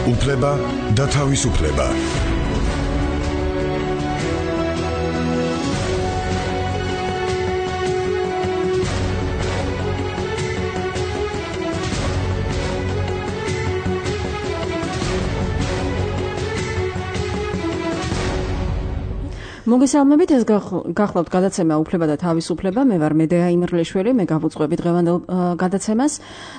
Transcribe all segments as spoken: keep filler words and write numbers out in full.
უფლება და თავისუფლება. მოგესალმებით, ეს გახლავთ გადაცემა უფლება და თავისუფლება. მე ვარ მედეა იმერლიშვილი, მე გავუძღვები დღევანდელ გადაცემას.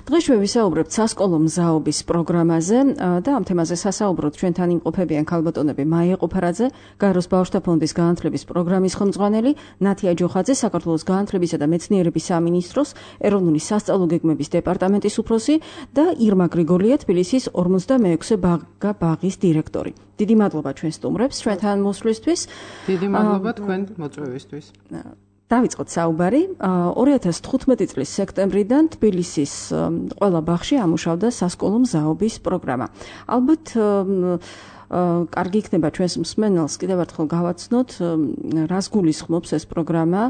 დღეს ჩვენ ვისაუბრებთ სასკოლო მზაობის პროგრამაზე და ამ თემაზე სასაუბროთ ჩვენთან იმყოფებიან ქალბატონები მაია ყופარაძე, გაეროს ბავშვთა ფონდის განათლების პროგრამის ხელმძღვანელი, ნათია ჯოხაძე, საქართველოს განათლებისა და მეცნიერების სამინისტროს ეროვნული სასწავლო გეგმების დეპარტამენტის უფროსი და ირმა გრიგოლია, თბილისის ორმოცდამეექვსე ბაღა ბაღის დირექტორი. დიდი მადლობა ჩვენ სტუმრებს ჩვენთან მოსვლისთვის. დიდი მადლობა თქვენ მოწვევისთვის. დავიწყოთ საუბარი. ორი ათას თხუთმეტი წლის სექტემბრიდან თბილისის ყველა ბაღში ამუშავდა სასკოლო მზაობის პროგრამა. ალბათ კარგი იქნება ჩვენს მსმენელს კიდევ ერთხელ გავაცნოთ, რას გულისხმობს ეს პროგრამა,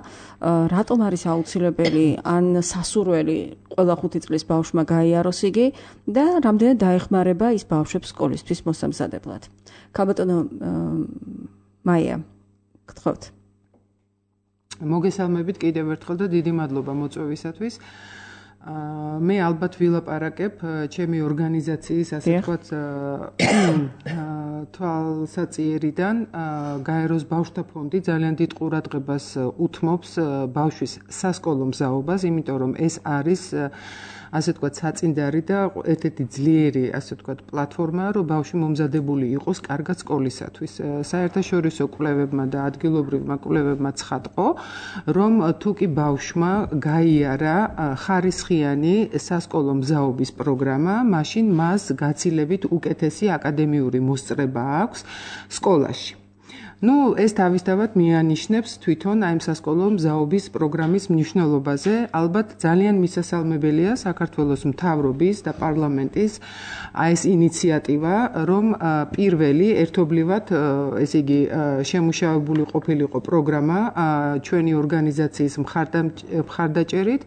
რატომ არის აუცილებელი ან სასურველი ყველა ხუთი წლის ბავშვმა გაიაროს იგი და რამდენად დაეხმარება ის ბავშვებს სკოლისთვის მოსამზადებლად. ქალბატონო მაია, გთხოვთ. მოგესალმებით კიდევ ერთხელ და დიდი მადლობა მოწვევისათვის. მე ალბათ ვილაპარაკებ ჩემი ორგანიზაციის, ასე ვთქვათ, თვალსაწიერიდან. გაეროს ბავშვთა ფონდი ძალიან დიდ ყურადღებას უთმობს ბავშვის სასკოლო მზაობას, იმიტომ რომ ეს არის ასე ვთქვათ, საწინდარი და ერთ-ერთი ძლიერი, ასე ვთქვათ, პლატფორმა, რომ ბავშვი მომზადებული იყოს კარგად სკოლისათვის. საერთაშორისო კვლევებმა და ადგილობრივმა კვლევებმა ცხადყო, რომ თუ კი ბავშვმა გაიარა ხარისხიანი სასკოლო მზაობის პროგრამა, მაშინ მას გაცილებით უკეთესი აკადემიური მოსწრება აქვს სკოლაში. ნუ ეს თავისთავად მიანიშნებს თვითონ აი ამ სასკოლო მზაობის პროგრამის მნიშვნელობაზე. ალბათ ძალიან მისასალმებელია საქართველოს მთავრობის და პარლამენტის აი ეს ინიციატივა, რომ პირველი ერთობლივად, ესე იგი, შემუშავებული ყოფილიყო პროგრამა ჩვენი ორგანიზაციის მხარდაჭერით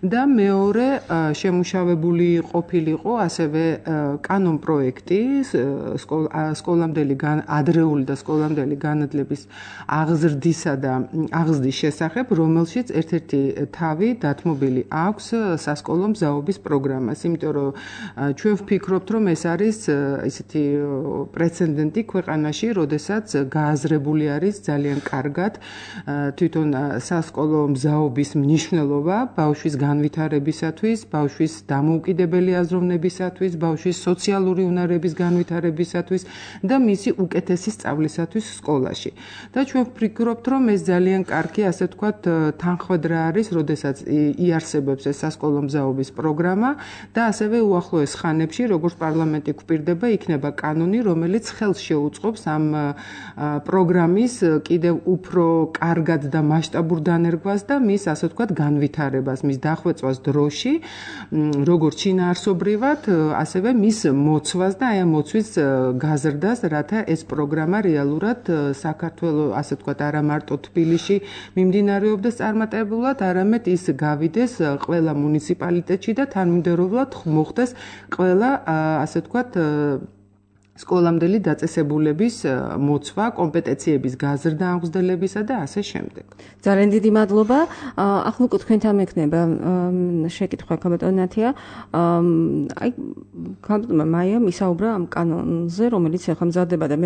და მეორე შემუშავებული ყოფილიყო ასევე კანონპროექტი სკოლამდელი ადრეული და სკოლამდელი განათლების აღზრდისა და აღზრდის შესახებ, რომელშიც ერთ-ერთი თავი დათმობილი აქვს სასკოლო მზაობის პროგრამას. იმიტომ რომ ჩვენ ვფიქრობთ, რომ ეს არის ისეთი პრეცედენტი ქვეყანაში, როდესაც გააზრებული არის ძალიან კარგად თვითონ სასკოლო მზაობის მნიშვნელობა ბავშვის განვითარებისათვის, ბავშვის დამოუკიდებელი აზროვნებისათვის, ბავშვის სოციალური უნარების განვითარებისათვის და მისი უკეთესი სწავლისათვის სკოლაში. და ჩვენ ვფიქრობთ, რომ ეს ძალიან კარგი, ასე ვთქვათ, თანხმედრა არის, როდესაც იარსებებს ეს სასკოლო მზაობის პროგრამა და ასევე უახლოეს ხანებში, როგორც პარლამენტი გვპირდება, იქნება კანონი, რომელიც ხელს შეუწყობს ამ პროგრამის კიდევ უფრო კარგად და მასშტაბურ დანერგვას და მის, ასე ვთქვათ, განვითარებას, მის დახვეწვას დროში, როგორც შინაარსობრივად, ასევე მის მოცვას და აი ამ მოცვის გაზრდას, რათა ეს პროგრამა რეალურად საქართველოს, ასე ვთქვათ, არა მარტო თბილისში მიმდინარეობდეს წარმატებულად, არამედ ის გავიდეს ყველა მუნიციპალიტეტში და თანმიმდევრულად მოხდეს ყველა, ასე ვთქვათ, სკოლამდელი დაწესებულების მოცვა, კომპეტენციების გაზრდა აღზრდებისა და ასე შემდეგ. ძალიან დიდი მადლობა. ახლა უკვე თქვენთან მექნება შეკითხვა ქალბატონ ნათია. აი ქალბატონმა მაიამ ისაუბრა ამ კანონზე, რომელიც ახლა მზადდება და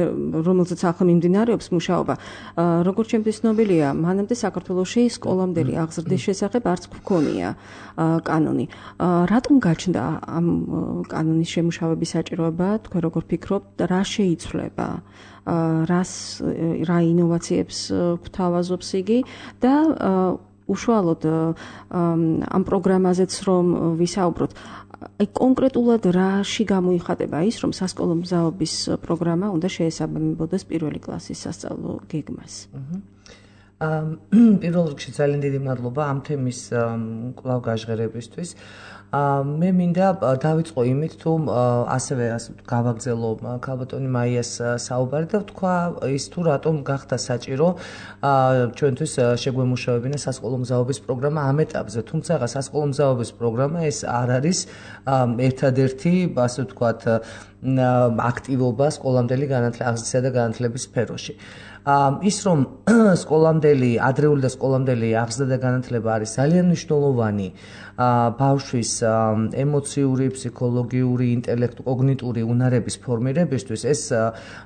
რომელზეც ახლა მიმდინარეობს მუშაობა. როგორც ჩემთვის ცნობილია, მანამდე საქართველოში სკოლამდელი აღზრდის შესახებ არც გვქონია კანონი. რატომ გაჩნდა ამ კანონის შემუშავების საჭიროება? თქვენ როგორ ფიქრობთ? რა შეიცვლება, რას რა ინოვაციებს გვთავაზობს იგი და უშუალოდ ამ პროგრამაზეც რომ ვისაუბროთ, აი კონკრეტულად რაში გამოიხატება ის, რომ სასკოლო მზაობის პროგრამა უნდა შეესაბამებოდეს პირველი კლასის სასწავლო გეგმას? პირველ რიგში ძალიან დიდი მადლობა ამ თემის კვლავ გაჟღერებისთვის. მე მინდა დავიწყო იმით, თუ ასევე გავაგზელო ქალბატონი მაიას საუბარი და ვთქვა ის თუ რატომ გახდა საჭირო ჩვენთვის შეგვემუშავებინა სასკოლო მზაობის პროგრამა ამ ეტაპზე. თუმცა სასკოლო მზაობის პროგრამა ეს არ არის ერთადერთი, ასე ვთქვათ, აქტივობა სკოლამდელი განათლების და განათლების სფეროში. ის რომ სკოლამდელი, ადრეული და სკოლამდელი აღზრდა და განათლება არის ძალიან მნიშვნელოვანი ბავშვის ემოციური, ფსიქოლოგიური, ინტელექტ, კოგნიტური უნარების ფორმირებისთვის, ეს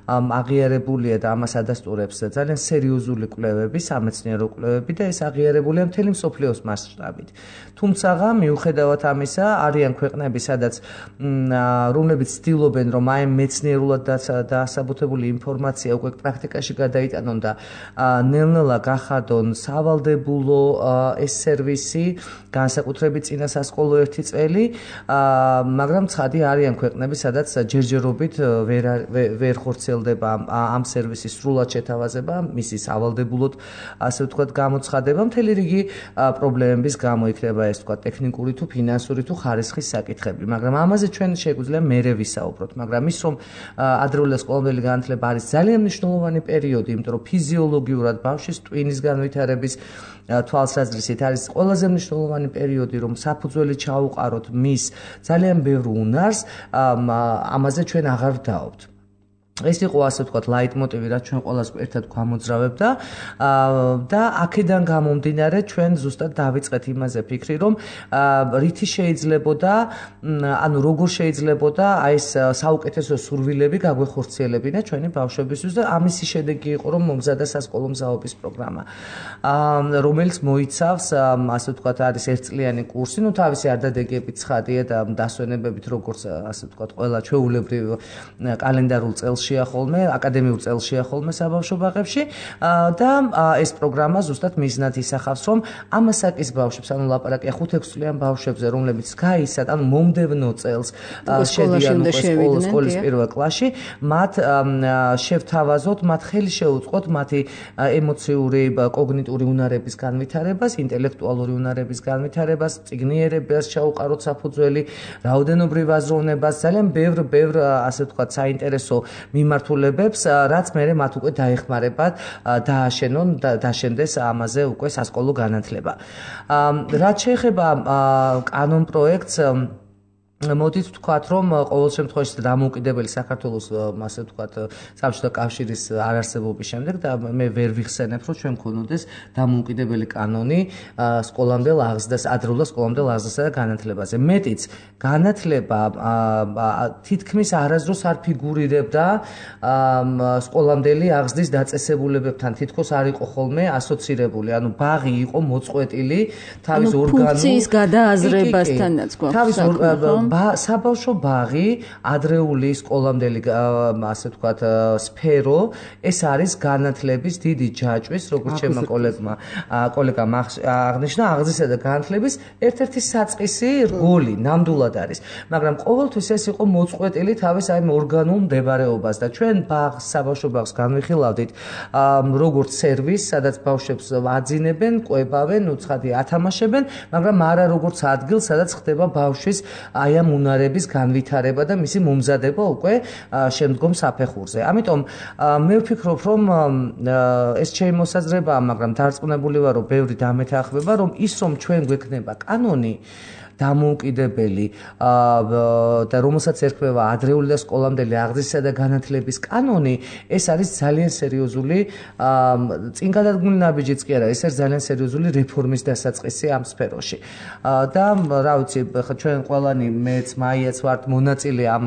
აღიარებულია და ამას ადასტურებს ძალიან სერიოზული კვლევები, სამეცნიერო კვლევები და ეს აღიარებულია მთელი მსოფლიოს მასშტაბით. თუმცა, მიუხედავად ამისა, არიან ქვეყნები, სადაც რომლებიც ცდილობენ, რომ აი მეცნიერულად დასაბუთებული ინფორმაცია უკვე პრაქტიკაში გადაიტანონ და ნელ-ნელა გახადონ სავალდებულო ეს სერვისი, განსაკუთრებით წინა სასკოლო ერთი წელი, მაგრამ ცხადი არიან ქვეყნები, სადაც ჯერჯერობით ვერ ვერ ხორციელდება ამ სერვისის სრულად შეთავაზება, მისი სავალდებულოდ, ასე ვთქვათ, გამოცხადება, მთელი რიგი პრობლემების გამო იქნება ეს ვთქვათ, ტექნიკური თუ ფინანსური თუ ხარისხის საკითხები, მაგრამ ამაზე ჩვენ შეგვიძლია მერე ვისაუბროთ, მაგრამ ის რომ ადრეული და სკოლამდელი განათლება არის ძალიან მნიშვნელოვანი პერიოდი, იმიტომ რომ ფიზიოლოგიურად ბავშვის ტვინის განვითარების თვალსაზრისით არის ყველაზე მნიშვნელოვანი პერიოდი, რომ საფუძველი ჩაუყაროთ მის ძალიან ბევრ უნარს, ამაზე ჩვენ აღარ ვდაობთ. ეს იყო ასე ვთქვათ ლაიტმოტივი, რაც ჩვენ ყველას ერთად გვამოძრავებდა და აქედან გამომდინარე ჩვენ ზუსტად დავიწყეთ იმაზე ფიქრი, რომ რითი შეიძლებოდა, ანუ როგორ შეიძლებოდა აი ეს საუკეთესო სურვილები გაგვეხორციელებინა ჩვენი ბავშვებისთვის და ამისი შედეგი იყო, რომ მომზადა სასკოლო მზაობის პროგრამა, რომელიც მოიცავს ასე ვთქვათ არის ერთწლიანი კურსი, ну თავისი არდადეგებით ცხადია და დასვენებებით როგორც ასე ვთქვათ ყველა ჩვეულებრივ კალენდარულ წელს ხოლმე აკადემიურ წელშია ხოლმე საბავშვო ბაღებში და ეს პროგრამა ზუსტად მიზნად ისახავს, რომ ამასაკის ბავშვებს, ანუ ლაპარაკია ხუთ-ექვს წლიან ბავშვებზე, რომლებიც გაისად, ანუ მომდევნო წელს შედიან უკვე სკოლის პირველ კლასში, მათ შევთავაზოთ, მათ ხელი შეუწყოთ მათი ემოციური, კოგნიტური უნარების განვითარებას, ინტელექტუალური უნარების განვითარებას, წიგნიერებას ჩაუყაროთ საფუძველი, რაოდენობრივ აზროვნებას, ძალიან ბევრ ბევრ ასე ვთქვათ საინტერესო მიმართულებებს, რაც მერე მათ უკვე დაეხმარებათ დააშენონ და დაშენდეს ამაზე უკვე სასკოლო განათლება. რაც შეეხება კანონ პროექტს, მოდით ვთქვათ, რომ ყოველ შემთხვევაში დამოუკიდებელი საქართველოს ასე ვთქვათ საბჭოთა კავშირის არარსებობის შემდეგ და მე ვერ ვიხსენებ, რომ ჩვენ გქონოდეს დამოუკიდებელი კანონი სკოლამდელ აღზრდას, ადრეულ სკოლამდელ აღზრდასა და განათლებაზე. მეტიც, განათლება თითქმის არასდროს არ ფიგურირებდა სკოლამდელი აღზრდის დაწესებულებებთან, თითქოს არ იყო ხოლმე ასოცირებული, ანუ ბაღი იყო მოწყვეტილი თავის ორგანულ ფუნქციის გადააზრებასთანაც გვაქვს. საბავშვო ბაღი, ადრეული სკოლამდელი ასე ვთქვათ სფერო, ეს არის განათლების დიდი ჯაჭვის, როგორც ჩემმა კოლეგმა კოლეგამ აღნიშნა, აღზრდისა და განათლების ერთ-ერთი საწყისი რგოლი, ნამდვილად არის. მაგრამ ყოველთვის ეს იყო მოწყვეტილი თავის აი ორგანულ მდებარეობას და ჩვენ ბაღს, საბავშვო ბაღს განვიხილავდით როგორც სერვისს, სადაც ბავშვებს აძინებენ, ყვებავენ, უცხადი ათამაშებენ, მაგრამ არა როგორც ადგილს, სადაც ხდება ბავშვის აი ამ უნარების განვითარება და მისი მომზადება უკვე შემდგომ საფეხურზე. ამიტომ მე ვფიქრობ, რომ ეს ჩემი მოსაზრებაა, მაგრამ დარწმუნებული ვარ, რომ ბევრი დამეთანხმება, რომ ის რომ ჩვენ გვექნება კანონი დამოუკიდებელი და რომელსაც ერქმევა ადრეული და სკოლამდელი აღზრდისა და განათლების კანონი, ეს არის ძალიან სერიოზული წინ გადადგმული ნაბიჯიც კი არა, ეს არის ძალიან სერიოზული რეფორმის დასაწყისი ამ სფეროში. და რა ვიცი, ჩვენ ყველანი მეც, მაიაც ვართ მონაწილე ამ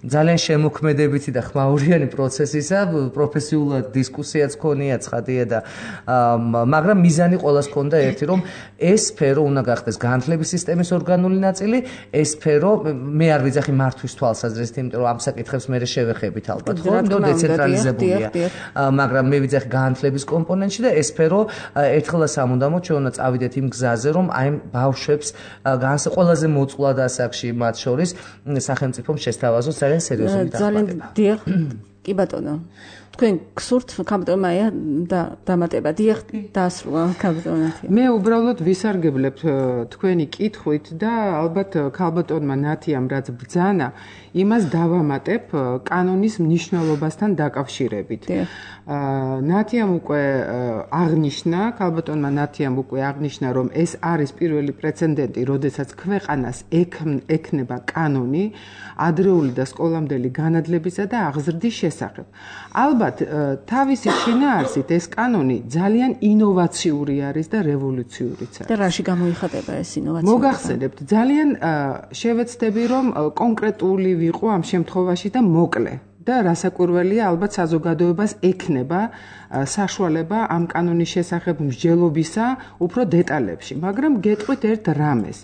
ძალიან შემოქმედებითი და ხმაურიანი პროცესისა, პროფესიულად დისკუსიაც ქონია, ცხადია და მაგრამ მიზანი ყველას ქონდა ერთი, რომ ეს სფერო უნდა გახდეს განათლების სისტემის ორგანული ნაწილი, ეს სფერო მე არ ვიძახი მართვის თვალსაზრისით, იმიტომ რომ ამ საკითხებს მე შევეხებით ალბათ, ხო, რომ დეცენტრალიზებულია. მაგრამ მე ვიძახი განათლების კომპონენტში და ეს სფერო ერთხელ და სამუდამოდ ჩვენ უნდა წავიდეთ იმ გზაზე, რომ აი ბავშვებს განსა ყველაზე მოწყვლად ასაკში მათ შორის სახელმწიფომ შესთავაზოს ძალიან სერიოზული დახმარება. ძალიან დიახ, კი ბატონო. თქვენ გსურთ ქალბატონ მაია და დამატება დიახ დაასრულა ქალბატონ ნათია. მე უბრალოდ ვისარგებლებ თქვენი კითხვით და ალბათ ქალბატონმა ნათიამ რაც ბრძანა იმას დავამატებ კანონის მნიშვნელობასთან დაკავშირებით. ნათიამ უკვე აღნიშნა, ქალბატონმა ნათიამ უკვე აღნიშნა, რომ ეს არის პირველი პრეცედენტი, როდესაც ქვეყანას ექნება კანონი ადრეული და სკოლამდელი განათლებისა და აღზრდის შესახებ. ალბათ თავისი შინაარსით ეს კანონი ძალიან ინოვაციური არის და რევოლუციურიც არის. და რაში გამოიხატება ეს ინოვაცია? მოგახსენებთ, ძალიან შევეცდები, რომ კონკრეტული ვიყო ამ შემთხვევაში და მოკლე. და რასაკვირველია, ალბათ საზოგადოებას ექნება საშუალება ამ კანონის შესახებ მსჯელობისა უფრო დეტალებში, მაგრამ გეტყვით ერთ რამეს.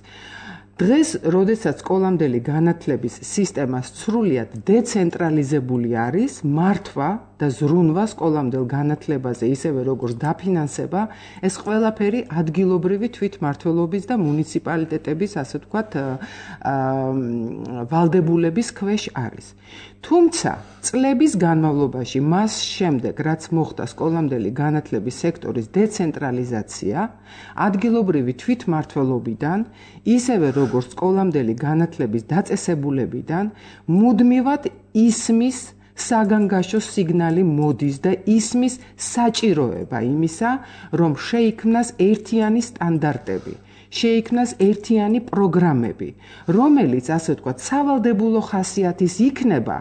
დღეს, როდესაც სკოლამდელი განათლების სისტემა სრულიად დეცენტრალიზებული არის, მართვა და ზრუნვა სკოლამდელ განათლებაზე, ისევე როგორც დაფინანსება, ეს ყველაფერი ადგილობრივი თვითმმართველობის და მუნიციპალიტეტების, ასე ვთქვათ, ვალდებულების ქვეშ არის. თუმცა, წლების განმავლობაში, მას შემდეგ, რაც მოხდა სკოლამდელი განათლების სექტორის დეცენტრალიზაცია, ადგილობრივი თვითმმართველობიდან, ისევე როგორც სკოლამდელი განათლების დაწესებულებიდან, მუდმივად ისმის საგანგაშო სიგნალი მოდის და ისმის საჭიროება იმისა, რომ შეიქმნას ერთიანი სტანდარტები, შეიქმნას ერთიანი პროგრამები, რომელიც, ასე ვთქვათ, სავალდებულო ხასიათის იქნება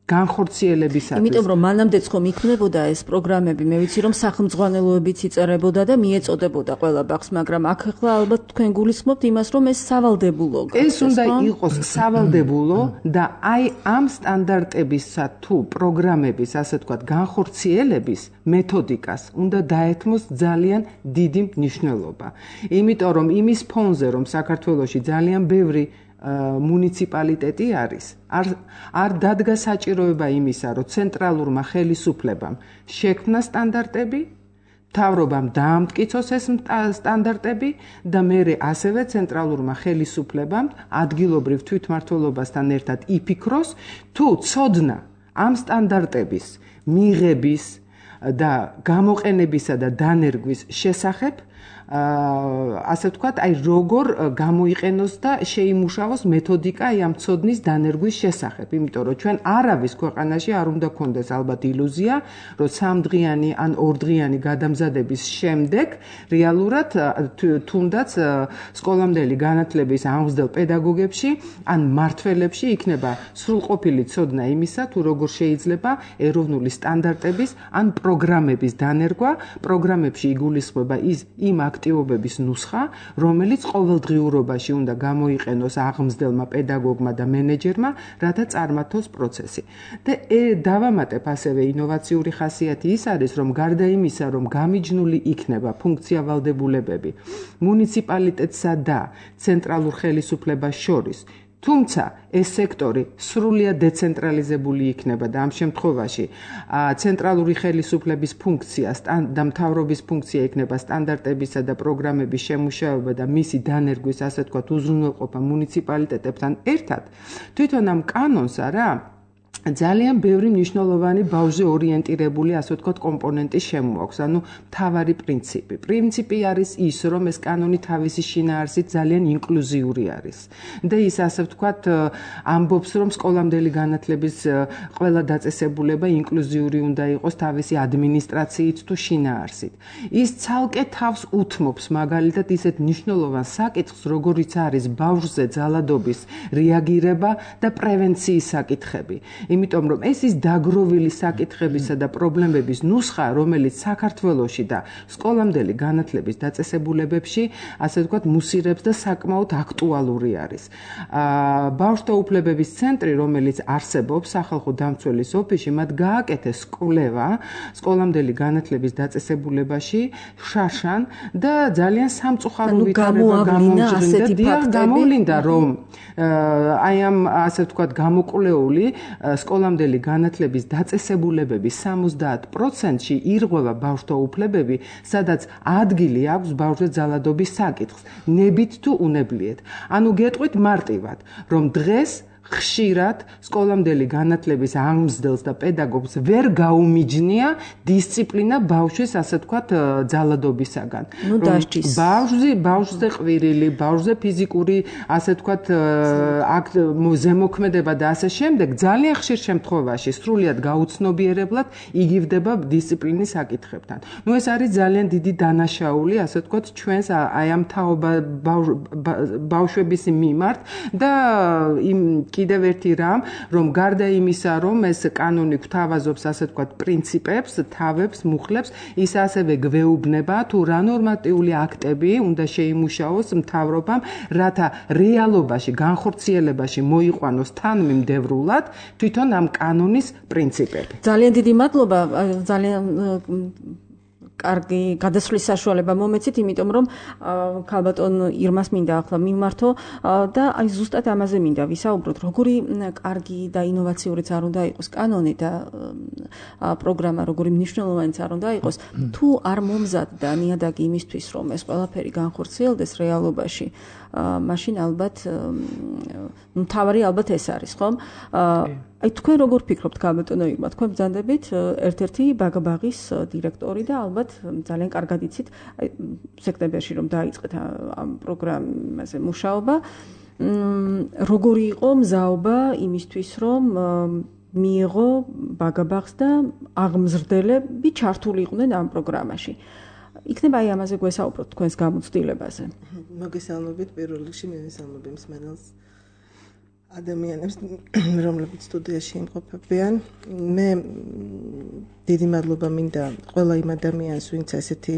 განხორციელებისათვის. იმიტომ რომ მანამდეც ხომ იქნებოდა ეს პროგრამები, მე ვიცი რომ სახელმძღვანელოებიც იწერებოდა და მიეწოდებოდა ყველა ბაღს, მაგრამ აქ ახლა ალბათ თქვენ გულისხმობთ იმას, რომ ეს სავალდებულო გახდეს. ეს უნდა იყოს სავალდებულო და აი ამ სტანდარტებისა თუ პროგრამების, ასე ვთქვათ, განხორციელების მეთოდიკას უნდა დაეთმოს ძალიან დიდი მნიშვნელობა. იმიტომ რომ იმის ფონზე, რომ საქართველოში ძალიან ბევრი მუნიციპალიტეტი არის, არ არ დადგა საჭიროება იმისა, რომ ცენტრალურმა ხელისუფლებამ შექმნა სტანდარტები, მთავრობამ დაამტკიცოს ეს სტანდარტები და მერე ასევე ცენტრალურმა ხელისუფლებამ ადგილობრივ თვითმმართველობასთან ერთად იფიქროს, თუ ცოდნა ამ სტანდარტების მიღების და გამოყენებისა და დანერგვის შესახებ ასე ვთქვათ, აი როგორ გამოიყენოს და შეიმუშავოს მეთოდიკა აი ამ ცოდნის დანერგვის შესახებ, იმიტომ რომ ჩვენ არავის ქვეყანაში არ უნდა გქონდეს ალბათ ილუზია, რომ სამდღიანი ან ორდღიანი გადამზადების შემდეგ რეალურად თუნდაც სკოლამდელი განათლების ამღწდელ პედაგოგებში ან მმართველებში იქნება სრულყოფილი ცოდნა იმისა, თუ როგორ შეიძლება ეროვნული სტანდარტების ან პროგრამების დანერგვა, პროგრამებში იგულისხმება ის იმ აქტივობების ნუსხა, რომელიც ყოველდღიურობაში უნდა გამოიყენოს აღმზრდელმა პედაგოგმა და მენეჯერმა, რათა წარმართოს პროცესი. და დავამატებ ასევე ინოვაციური ხასიათი ის არის, რომ გარდა იმისა, რომ გამიჯნული იქნება ფუნქცია ვალდებულებები მუნიციპალიტეტსა და ცენტრალურ ხელისუფლებას შორის, თუმცა ეს სექტორი სრულიად დეცენტრალიზებული იქნება და ამ შემთხვევაში ცენტრალური ხელისუფლების ფუნქცია და მთავრობის ფუნქცია იქნება სტანდარტებისა და პროგრამების შემუშავება და მისი დანერგვის, ასე ვთქვათ, უზრუნველყოფა მუნიციპალიტეტებთან ერთად, თვითონ ამ კანონს არა ძალიან ბევრი მნიშვნელოვანი ბავშვზე ორიენტირებული, ასე ვთქვათ, კომპონენტი შემოაქვს, ანუ მთავარი პრინციპი. პრინციპი არის ის, რომ ეს კანონი თავისი შინაარსით ძალიან ინკლუზიური არის. და ის, ასე ვთქვათ, ამბობს, რომ სკოლამდელი განათლების ყველა დაწესებულება ინკლუზიური უნდა იყოს თავისი ადმინისტრაციით თუ შინაარსით. ის ცალკე თავს უთმობს მაგალითად ისეთ მნიშვნელოვან საკითხს, როგორიც არის ბავშვზე ძალადობის რეაგირება და პრევენციის საკითხები. იმიტომ რომ ეს ის დაგროვილი საკითხებისა და პრობლემების ნუსხა, რომელიც საქართველოში და სკოლამდელი განათლების დაწესებულებებში, ასე ვთქვათ, მუსირებს და საკმაოდ აქტუალური არის. ბავშვთა უფლებების ცენტრი, რომელიც არსებობს სახალხო დამცველის ოფისში, მათ გააკეთეს კვლევა სკოლამდელი განათლების დაწესებულებაში შარშან და ძალიან სამწუხარო ვითარება გამოუჩნდა. გამოვლინდა, რომ აი ამ, ასე ვთქვათ, გამოკვლეული სკოლამდელი განათლების დაწესებულებების სამოცდაათ პროცენტში ირღვევა ბავშვთა უფლებები, სადაც ადგილი აქვს ბავშვზე ძალადობის საკითხს, ნებით თუ უნებლიეთ. ანუ გეტყვით მარტივად, რომ დღეს ხშირად სკოლამდელი განათლების აღმზრდელს და პედაგოგს ვერ გაუმიჯნია დისციპლინა ბავშვის, ასე ვთქვათ, ძალადობისაგან. ნუ დასჯის. ბავშვი, ბავშვზე ყვირილი, ბავშვზე ფიზიკური, ასე ვთქვათ, აქტ ზემოქმედება და ასე შემდეგ, ძალიან ხშირ შემთხვევაში სრულიად გაუცნობიერებლად იგივდება დისციპლინის საკითხებთან. ნუ ეს არის ძალიან დიდი დანაშაული, ასე ვთქვათ, ჩვენს აი ამ თაობა ბავშვების მიმართ და იმ კიდევ ერთი რამ, რომ გარდა იმისა, რომ ეს კანონი გვთავაზობს, ასე ვთქვათ, პრინციპებს, თავებს, მუხლებს, ის ასევე გვეუბნება თუ რა ნორმატიული აქტები უნდა შეიმუშაოს მთავრობამ, რათა რეალობაში, განხორციელებაში მოიყვანოს თანმიმდევრულად თვითონ ამ კანონის პრინციპები. ძალიან დიდი მადლობა, ძალიან კარგი გადასვლის საშუალება მომეცით, იმიტომ რომ ქალბატონ ირმას მინდა ახლა მიმართო და აი ზუსტად ამაზე მინდა ვისაუბროთ, როგორი კარგი და ინოვაციურიც არ უნდა იყოს კანონი და პროგრამა, როგორი მნიშვნელოვანიც არ უნდა იყოს, თუ არ მომზადდა ნიადაგი იმისთვის, რომ ეს ყველაფერი განხორციელდეს რეალობაში, მაშინ ალბათ ნუ თავარი ალბათ ეს არის, ხომ? აი თქვენ როგორ ფიქრობთ, ქალბატონო ირმა, თქვენ ბრძანდებით ერთ-ერთი ბაგაბაღის დირექტორი და ალბათ ძალიან კარგად იცით, აი სექტემბერში რომ დაიწყეთ ამ პროგრამაზე მუშაობა, როგორი იყო მზაობა იმისთვის, რომ მიიღო ბაგაბაღს და აღმზრდელები ჩართული იყვნენ ამ პროგრამაში. იქნება აი ამაზე გვესაუბროთ თქვენს გამოცდილებაზე. მოგესალმებით, პირველ რიგში მივესალმებ მსმენელს ადამიანებს, რომლებიც სტუდიაში იმყოფებიან. მე დიდი მადლობა მინდა ყველა იმ ადამიანს, ვინც ასეთი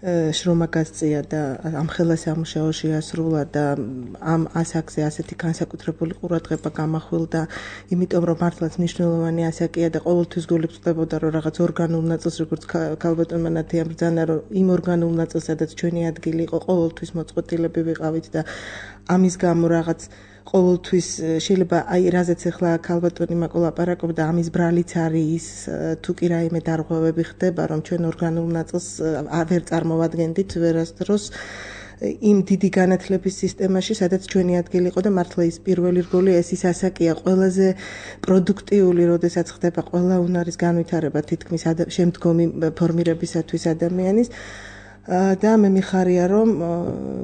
შრომა გასწია და ამ ხელა სამუშაოში ასრულა და ამ ასაკზე ასეთი განსაკუთრებული ყურადღება გამახვილდა, იმიტომ რომ მართლაც მნიშვნელოვანი ასაკია და ყოველთვის გული გწდებოდა, რომ რაღაც ორგანულ ნაწილს, როგორც ქალბატონმა ნათიამ ბრძანა, რომ იმ ორგანულ ნაწილს, სადაც ჩვენი ადგილი იყო, ყოველთვის მოწყვეტილები ვიყავით და ამის გამო რაღაც ყოველთვის შეიძლება აი რაზეც ახლა ქალბატონი მაკოლაპარაკობდა, ამის ბრალიც არის ის, თუ კი რაიმე დარღვევები ხდება, რომ ჩვენ ორგანულ ნაწილს ვერ წარმოვადგენდით ვერასდროს იმ დიდი განათლების სისტემაში, სადაც ჩვენი ადგილი იყო და მართლა ის პირველი რგოლი ეს ის ასაკია ყველაზე პროდუქტიული, როდესაც ხდება ყველა უნარის განვითარება თითქმის შემდგომი ფორმირებისათვის ადამიანის. და მე მიხარია, რომ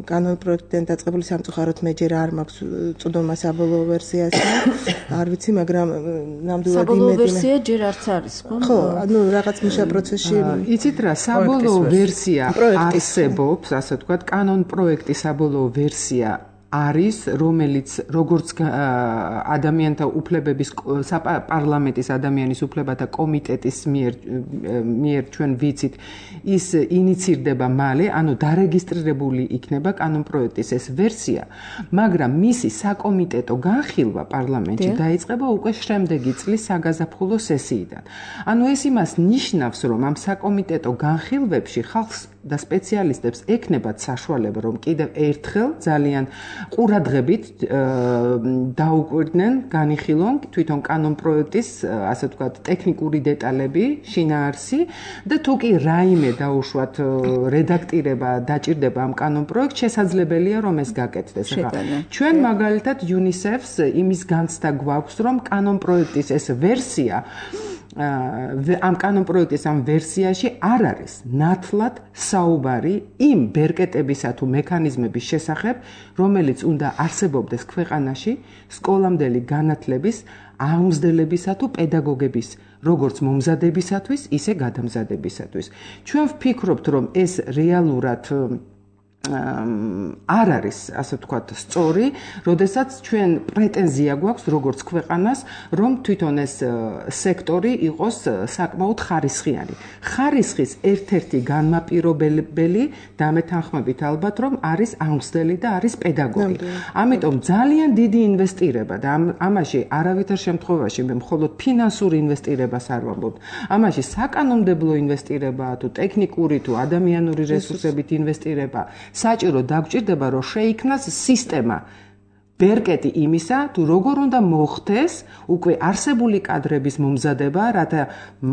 კანონ პროექტიდან დაწყებული სამწუხაროდ მე ჯერ არ მაქვს წვდომა საბოლოო ვერსიასა. არ ვიცი, მაგრამ ნამდვილად იმედი საბოლოო ვერსია ჯერ არც არის, ხო? ხო, ანუ რაღაც მუშა პროცესში. იცით რა, საბოლოო ვერსია არსებობს, ასე ვთქვათ, კანონ პროექტის საბოლოო ვერსია არის, რომელიც როგორც ადამიანთა უფლებების პარლამენტის ადამიანის უფლებათა კომიტეტის მიერ მიერ ჩვენ ვიცით, ის ინიცირდება მალე, ანუ დარეგისტრირებული იქნება კანონ პროექტის ეს ვერსია, მაგრამ მისი საკომიტეტო განხილვა პარლამენტში დაიწყება უკვე შემდეგი წლის საგაზაფხულო სესიიდან. ანუ ეს იმას ნიშნავს, რომ ამ საკომიტეტო განხილვებში ხალხს და სპეციალისტებს ექნებათ საშუალება, რომ კიდევ ერთხელ ძალიან ყურადღებით დაუკვირდნენ, განიხილონ თვითონ კანონ პროექტის, ასე ვთქვათ, ტექნიკური დეტალები, შინაარსი და თუ კი რაიმე დაუშვათ რედაქტირება დაჭირდება ამ კანონ პროექტს, შესაძლებელია რომ ეს გაკეთდეს. ჩვენ მაგალითად UNICEF-ს იმის განცდა გვაქვს, რომ კანონ პროექტის ეს ვერსია ამ კანონ პროექტის ამ ვერსიაში არ არის ნათლად საუბარი იმ ბერკეტებისა თუ მექანიზმების შესახებ, რომელიც უნდა არსებობდეს ქვეყანაში სკოლამდელი განათლების აღმზრდებისა თუ პედაგოგების როგორც მომზადებისათვის, ისე გადამზადებისათვის. ჩვენ ვფიქრობთ, რომ ეს რეალურად არ არის, ასე ვთქვათ, სწორი, როდესაც ჩვენ პრეტენზია გვაქვს როგორც ქვეყანას, რომ თვითონ ეს სექტორი იყოს საკმაოდ ხარისხიანი. ხარისხის ერთ-ერთი განმაპირობებელი დამეთანხმებით ალბათ, რომ არის აღმზრდელი და არის პედაგოგი. ამიტომ ძალიან დიდი ინვესტირება და ამაში არავითარ შემთხვევაში მე მხოლოდ ფინანსური ინვესტირებას არ ვამბობ. ამაში საკანონმდებლო ინვესტირება თუ ტექნიკური თუ ადამიანური რესურსებით ინვესტირება საჭირო დაგჭირდება, რომ შეიქმნას სისტემა, ბერკეტი იმისა, თუ როგორ უნდა მოხდეს უკვე არსებული კადრების მომზადება, რათა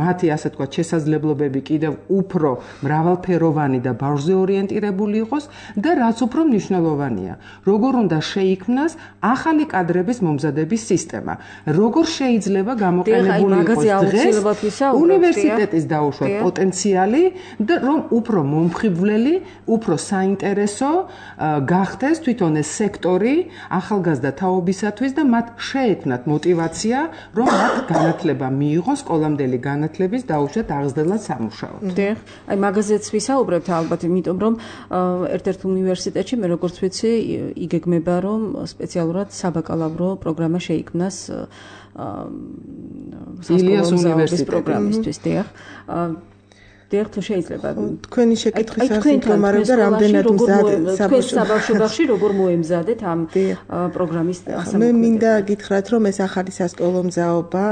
მათი ასე თქვა შესაძლებლობები კიდევ უფრო მრავალფეროვანი და ბავშვზე ორიენტირებული იყოს და რაც უფრო მნიშვნელოვანია, როგორ უნდა შეიქმნას ახალი კადრების მომზადების სისტემა. როგორ შეიძლება გამოყენებული იყოს დღეს უნივერსიტეტის დაუშვათ პოტენციალი და რომ უფრო მომხიბვლელი, უფრო საინტერესო გახდეს თვითონ ეს სექტორი ახალგაზრდა თაობისათვის და მათ შეექმნათ мотивация, რომ მათ განათლება მიიღოს სკოლამდელი განათლების დაუშვათ აღზრდელად სამუშაოდ. დიახ, აი მაგაზეც ვისაუბრებთ ალბათ, იმიტომ რომ ერთ-ერთ უნივერსიტეტში მე როგორც ვიცი, იგეგმება რომ სპეციალურად საბაკალავრო პროგრამა შეიქმნას ილიას უნივერსიტეტის პროგრამისთვის, დიახ. დიახ, თუ შეიძლება თქვენი შეკითხვის არსით რომ არ და რამდენად მზადეთ საბავშვო ბაღში როგორ მოემზადეთ ამ პროგრამის ასამოქმედებას. მე მინდა გითხრათ რომ ეს ახალი სასკოლო მზაობა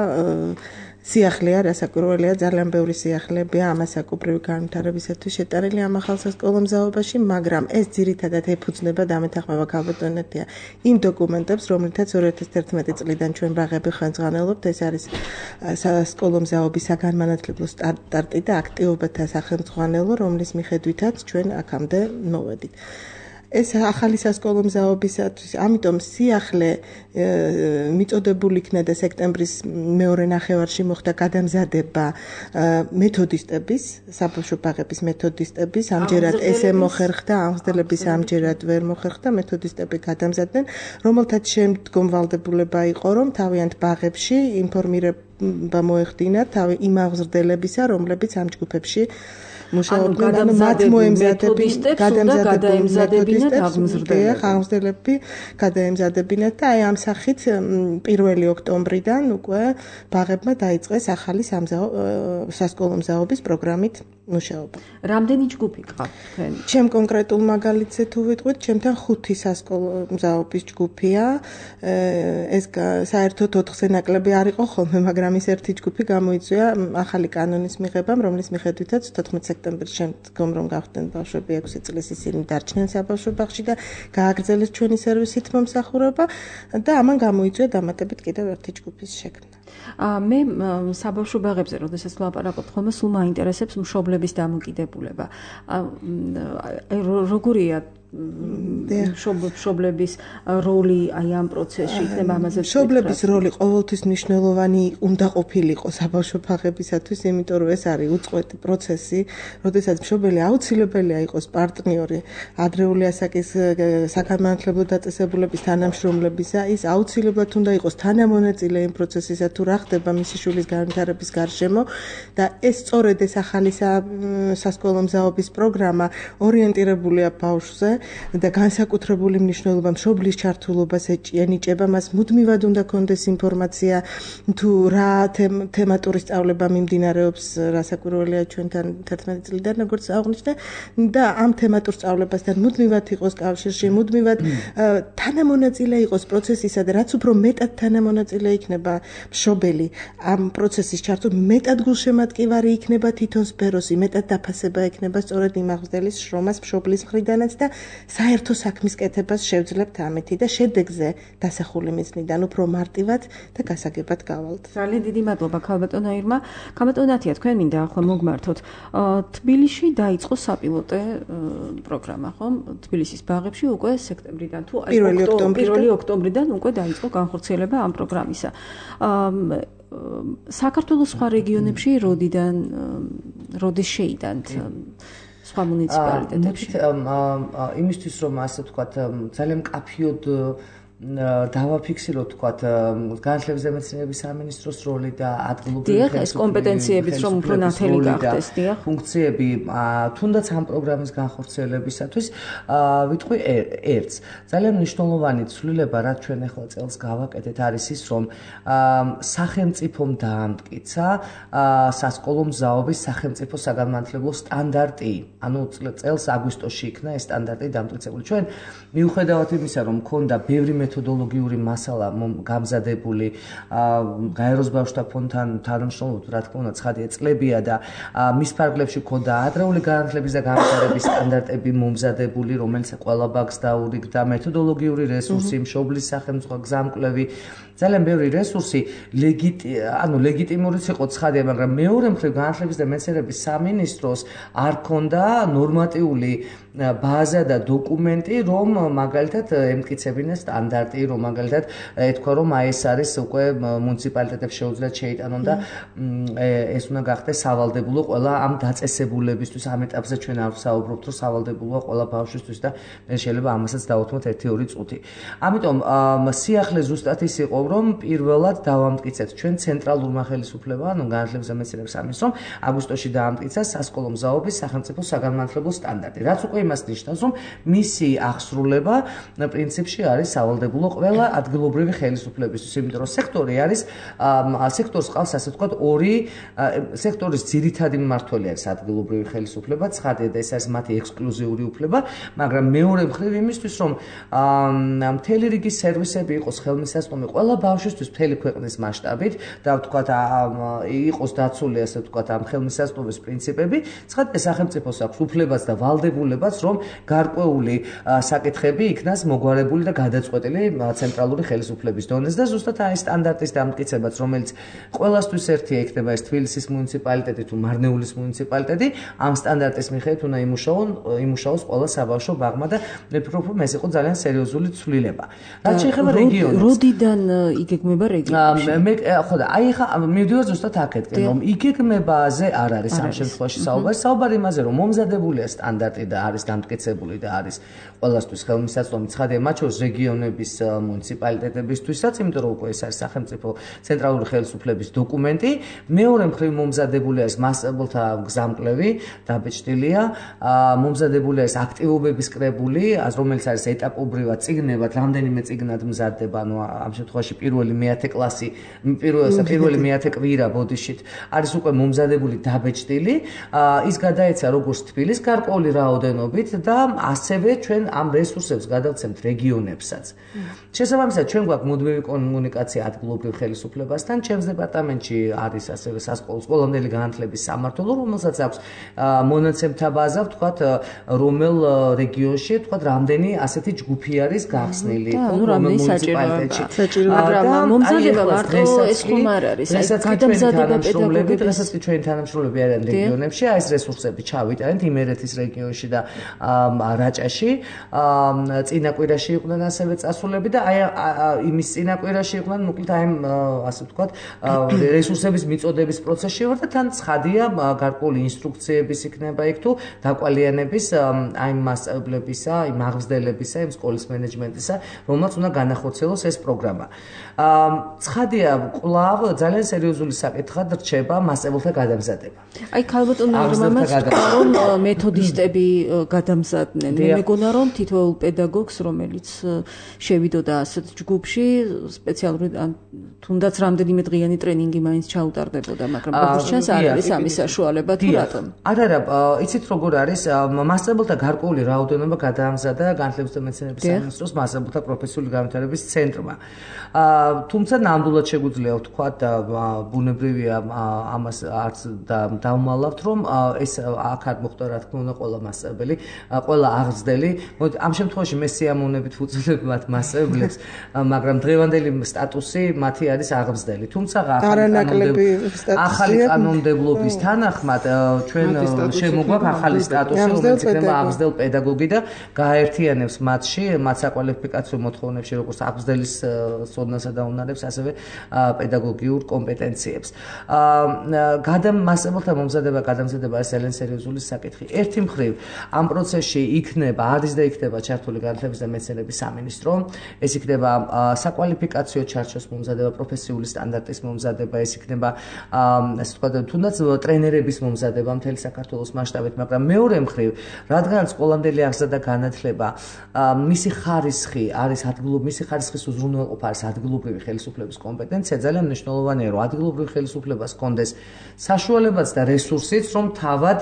სიახლეა, რასაკვირველია, ძალიან ბევრი სიახლებია ამას საკუთრივი განვითარებისათვის შეტანილი ამ ახალ სასკოლო მზაობაში, მაგრამ ეს ძირითადად ეფუძნება დამეთანხმება ქალბატონეთია იმ დოკუმენტებს, რომლითაც ორი ათას ერთმეტი წლიდან ჩვენ ბაღები ხელმძღვანელობთ, ეს არის სასკოლო მზაობის საგანმანათლებლო სტარტი და აქტივობათა სახელმძღვანელო, რომლის მიხედვითაც ჩვენ აქამდე მოვედით. ეს ახალი სასკოლო მზაობისათვის, ამიტომ სიახლე მიწოდებული იქნა და სექტემბრის მეორე ნახევარში მოხდა გადამზადება მეთოდისტების, საბავშვო ბაღების მეთოდისტების, ამჯერად ესე მოხერხდა, აღზრდელების ამჯერად ვერ მოხერხდა, მეთოდისტები გადამზადდნენ, რომელთაც შემდგომ ვალდებულება იყო, რომ თავიანთ ბაღებში ინფორმირება მოეხდინათ თავი იმ აღზრდელებისა, რომლებიც ამ ჯგუფებში მუშაობდნენ, ანუ მათ მოემზადებინათ, გადაემზადებინათ აღმზრდელები, გადაემზადებინათ და აი ამ სახით პირველი ოქტომბრიდან უკვე ბაღებმა დაიწყეს ახალი სასკოლო მზაობის პროგრამით მუშაობა. რამდენი ჯგუფი გყავთ თქვენ? ჩემ კონკრეტულ მაგალითზე თუ ვიტყვით, ჩემთან ხუთი სასკოლო მზაობის ჯგუფია. ეს საერთოდ ოთხზე ნაკლები არ იყო ხოლმე, მაგრამ ის ერთი ჯგუფი გამოიწვია ახალი კანონის მიღებამ, რომლის მიხედვითაც თოთხმეტი სექტემბრის შემდგომ რომ გავხდნენ ბავშვები ექვსი წლის ისინი დარჩნენ საბავშვო ბაღში და გააგრძელეს ჩვენი სერვისით მომსახურება და ამან გამოიწვია დამატებით კიდევ ერთი ჯგუფის შექმნა. მე საბავშვო ბაღებზე, როდესაც ვლაპარაკობ, ხოლმე სულ მაინტერესებს მშობლების დამოკიდებულება. როგორია მშობლების როლი აი ამ პროცესში იქნება ამაზე? მშობლების როლი ყოველთვის მნიშვნელოვანი უნდა ყოფილიყო საბავშვო ბაღებისათვის, იმიტომ რომ ეს არის უწყვეტი პროცესი, როდესაც მშობელი აუცილებელია იყოს პარტნიორი ადრეული ასაკის საგანმანათლებლო დაწესებულების თანამშრომლებისა, ის აუცილებლად უნდა იყოს თანამონაწილე იმ პროცესისა, თუ რა ხდება მისი შვილის განვითარების გარშემო და ეს სწორედ ეს ახალი სასკოლო მზაობის პროგრამა ორიენტირებულია ბავშვზე და განსაკუთრებული მნიშვნელობა მშობლის ჩართულობას ენიჭება, მას მუდმივად უნდა კონდეს ინფორმაცია თუ რა თემატური სწავლება მიმდინარეობს, რასაკვირველია ჩვენთან თერთმეტი წლიდან როგორც აღნიშნე და ამ თემატურ სწავლებასთან მუდმივად იყოს კავშირში, მუდმივად თანამონაწილე იყოს პროცესისა და რაც უფრო მეტად თანამონაწილე იქნება მშობელი ამ პროცესის ჩართულ, მეტად გულშემატკივარი იქნება თითონ სფეროსი, მეტად დაფასება ექნება სწორედ იმ აღზრდელის შრომას მშობლის მხრიდანაც და საერთო საქმის კეთებას შევძლებთ ამეთი და შედეგზე დასახული მიზნიდან უფრო მარტივად და გასაგებად გავალთ. ძალიან დიდი მადლობა ქალბატონო ირმა. ქალბატონო ნათია, თქვენ მინდა ახლა მოგმართოთ. თბილისში დაიწყო საპილოტე პროგრამა, ხომ? თბილისის ბაღებში უკვე სექტემბრიდან თუ პირველი ოქტომბრიდან უკვე დაიწყო განხორციელება ამ პროგრამისა. საქართველოს სხვა რეგიონებში როდიდან როდის შეიტანთ სხვა მუნიციპალიტეტებში? იმისთვის რომ ასე ვთქვათ, ძალიან მკაფიოდ დავაფიქსიროთ თქვათ განათლების და მეცნიერების სამინისტროს როლი და ადგილობრივი ხელისუფლების კომპეტენციებიც რომ უფრო ნათელი გახდეს, დიახ, ფუნქციები თუნდაც ამ პროგრამის განხორციელებისათვის ვიტყვი ერთს. ძალიან მნიშვნელოვანი ცვლილება, რაც ჩვენ ახლა წელს გავაკეთეთ, არის ის, რომ სახელმწიფომ დაამტკიცა სასკოლო მზაობის სახელმწიფო საგანმანათლებლო სტანდარტი. ანუ წელს აგვისტოში იქნა ეს სტანდარტი დამტკიცებული. ჩვენ მიუხედავად იმისა, რომ მქონდა ბევრი მეთოდოლოგიური მასალა გამზადებული გაეროს ბავშვთა ფონდთან თანამშრომლობით, რა თქმა უნდა, ცხადია წლებია და მის ფარგლებში ქონდა ადრეული განათლების და განვითარების სტანდარტები მომზადებული, რომელიც ყველა ბაგს დაურიგდა, მეთოდოლოგიური რესურსი, მშობლის სახელმწიფო გზამკვლევი, ძალიან ბევრი რესურსი, ანუ ლეგიტიმურიც იყო ცხადია, მაგრამ მეორე მხრივ განათლების და მეცნიერების სამინისტროს არ ქონდა ნორმატიული ბაზა და დოკუმენტი, რომ მაგალითად ემტკიცებინა სტანდარტი, რომ მაგალითად ეთქვა, რომ აი ეს არის უკვე მუნიციპალიტეტებს შეუძლიათ შეიტანონ და ეს უნდა გახდეს სავალდებულო ყველა ამ დაწესებულებისთვის, ამ ეტაპზე ჩვენ არ ვსაუბრობთ, რომ სავალდებულოა ყველა ბავშვისთვის და მე შეიძლება ამასაც დავუთმოთ ერთი ორი წუთი. ამიტომ სიახლე ზუსტად ის იყო, რომ პირველად დავამტკიცეთ ჩვენ ცენტრალურმა ხელისუფლებამ, ანუ განათლების და მეცნიერების სამინისტრომ აგვისტოში დაამტკიცა სასკოლო მზაობის სახელმწიფო საგანმანათლებლო სტანდარტი. რაც უკვე იმას ნიშნავს, რომ მისი აღსრულება პრინციპში არის სავალდებულო ყველა ადგილობრივი ხელისუფლებისთვის, იმიტომ რომ სექტორი არის სექტორს ყავს ასე ვთქვათ ორი სექტორის ძირითადი მმართველი არის ადგილობრივი ხელისუფლება, ცხადია და ეს არის მათი ექსკლუზიური უფლება, მაგრამ მეორე მხრივ იმისთვის, რომ მთელი რიგი სერვისები იყოს ხელმისაწვდომი ყველა ბავშვისთვის მთელი ქვეყნის მასშტაბით და ვთქვათ იყოს დაცული ასე ვთქვათ ამ ხელმისაწვდომის პრინციპები, ცხადია სახელმწიფოს აქვს უფლებაც და ვალდებულებაც, რომ გარკვეული საკითხები იქნას მოგვარებული და გადაწყვეტილი ცენტრალური ხელისუფლების დონეზე და ზუსტად აი სტანდარტის დამტკიცებაც, რომელიც ყველასთვის ერთია, იქნება ეს თბილისის მუნიციპალიტეტი თუ მარნეულის მუნიციპალიტეტი, ამ სტანდარტის მიხედვით უნდა იმუშაონ, იმუშაოს ყველა საბავშვო ბაღმა და მე ვფიქრობ, რომ ეს იყო ძალიან სერიოზული ცვლილება. რაც შეეხება რეგიონებს. როდიდან იგეგმება რეგიონებში? მე ხო და აი ხა მივდივარ ზუსტად აქეთკენ, რომ იგეგმებაზე არ არის ამ შემთხვევაში საუბარი, საუბარი იმაზე, რომ მომზადებულია სტანდარტი და არის დამტკიცებული და არის ყველასთვის ხელმისაწვდომი, ცხადია მათ შორის რეგიონების მუნიციპალიტეტებისთვისაც, იმიტომ რომ უკვე ეს არის სახელმწიფო ცენტრალური ხელისუფლების დოკუმენტი, მეორე მხრივ მომზადებული არის მასწავლებელთა გზამკვლევი, დაბეჭდილია, მომზადებული არის აქტივობების კრებული, რომელიც არის ეტაპობრივად წიგნებად, რამდენიმე წიგნად მზადდება, ანუ ამ შემთხვევაში პირველი მეათე კლასი, პირველი მეათე კვირა ბოდიშით არის უკვე მომზადებული დაბეჭდილი, ის გადაეცა როგორც თბილის გარკვეული რაოდენობით და ასევე ჩვენ ამ რესურსებს გადავცემთ რეგიონებსაც. შესაბამისად, ჩვენ გვაქვს მუდმივი კომუნიკაცია ადგილობრივ ხელისუფლებასთან, ჩემს დეპარტამენტში არის ასევე სასკოლო სკოლამდელი განათლების სამმართველო, რომელსაც აქვს მონაცემთა ბაზა, ვთქვათ, რომელ რეგიონში, ვთქვათ, რამდენი ასეთი ჯგუფი არის გახსნილი, რომელ მუნიციპალიტეტში. მაგრამ მომზადება მარტო ეს ხომ არ არის, აი გადამზადება პედაგოგები, რასაც კი ჩვენი თანამშრომლები არიან რეგიონებში, აი ეს რესურსები ჩავიტანეთ იმერეთის რეგიონში და რაჭაში, წინა კვირაში იყვნენ ასევე წასულები და აი იმის წინა კვირაში იყვნენ, მოკლედ აი ასე ვთქვათ, რესურსების მიწოდების პროცესში ვარ და თან ცხადია გარკვეული ინსტრუქციების იქნება იქ თუ დაკვალიანების აი მასწავლებლებისა, აი მაღზდებლებისა, იმ სკოლის მენეჯმენტისა, რომელსაც უნდა განახორციელოს ეს პროგრამა. ცხადია, კვლავ ძალიან სერიოზული საკითხად რჩება მასწავლებელთა გადამზადება. აი ქალბატონო რომამაც რომ მეთოდისტები გადამზადდნენ. მე მეგონა რომ თითოეულ პედაგოგს, რომელიც შევიდოდა ასეთ ჯგუფში, სპეციალური თუნდაც რამდენიმე დღიანი ტრენინგი მაინც ჩაუტარდებოდა, მაგრამ როგორც ჩანს არ არის ამის საშუალება თუ რატომ? არა, არა, იცით როგორ არის, მასწავლებელთა გარკვეული რაოდენობა გადაამზადა განათლების და მეცნიერების სამინისტროს მასწავლებელთა პროფესიული განვითარების ცენტრმა. თუმცა ნამდვილად შეგვიძლია ვთქვათ, ბუნებრივია ამას არც დავმალავთ, რომ ეს აქ არ მოხდა რა თქმა უნდა ყველა მასწავლებელი, ყველა აღზრდელი. ამ შემთხვევაში მე სიამოვნებით ვუწოდებ მათ მასწავლებლებს, მაგრამ დღევანდელი სტატუსი მათი არის აღზრდელი. თუმცა ახალი კანონმდებლობის თანახმად ჩვენ შემოგვაქვს ახალი სტატუსი, რომელიც იქნება აღზრდელ პედაგოგი და გააერთიანებს მათში, მათ საკვალიფიკაციო მოთხოვნებში, როგორც აღზრდელის სოდნასა და უნარებს, ასევე პედაგოგიურ კომპეტენციებს. გადამ მასწავლებელთა მომზადება, გადამზადება არის ძალიან სერიოზული საკითხი. ერთი მხრივ ამ პროცესში იქნება, არის და იქნება ჩართული განათლების და მეცნიერების სამინისტრო, ეს იქნება საკვალიფიკაციო ჩარჩოს მომზადება, პროფესიული სტანდარტის მომზადება, ეს იქნება ასე ვთქვათ, თუნდაც ტრენერების მომზადება მთელი საქართველოს მასშტაბით, მაგრამ მეორე მხრივ, რადგან სკოლამდელი აღზრდა და განათლება, მისი ხარისხი არის ადგილობრივი, მისი ხარისხის უზრუნველყოფა არის ადგილობრივი ხელისუფლების კომპეტენცია, ძალიან მნიშვნელოვანია, რომ ადგილობრივი ხელისუფლებას ჰქონდეს საშუალებაც და რესურსიც, რომ თავად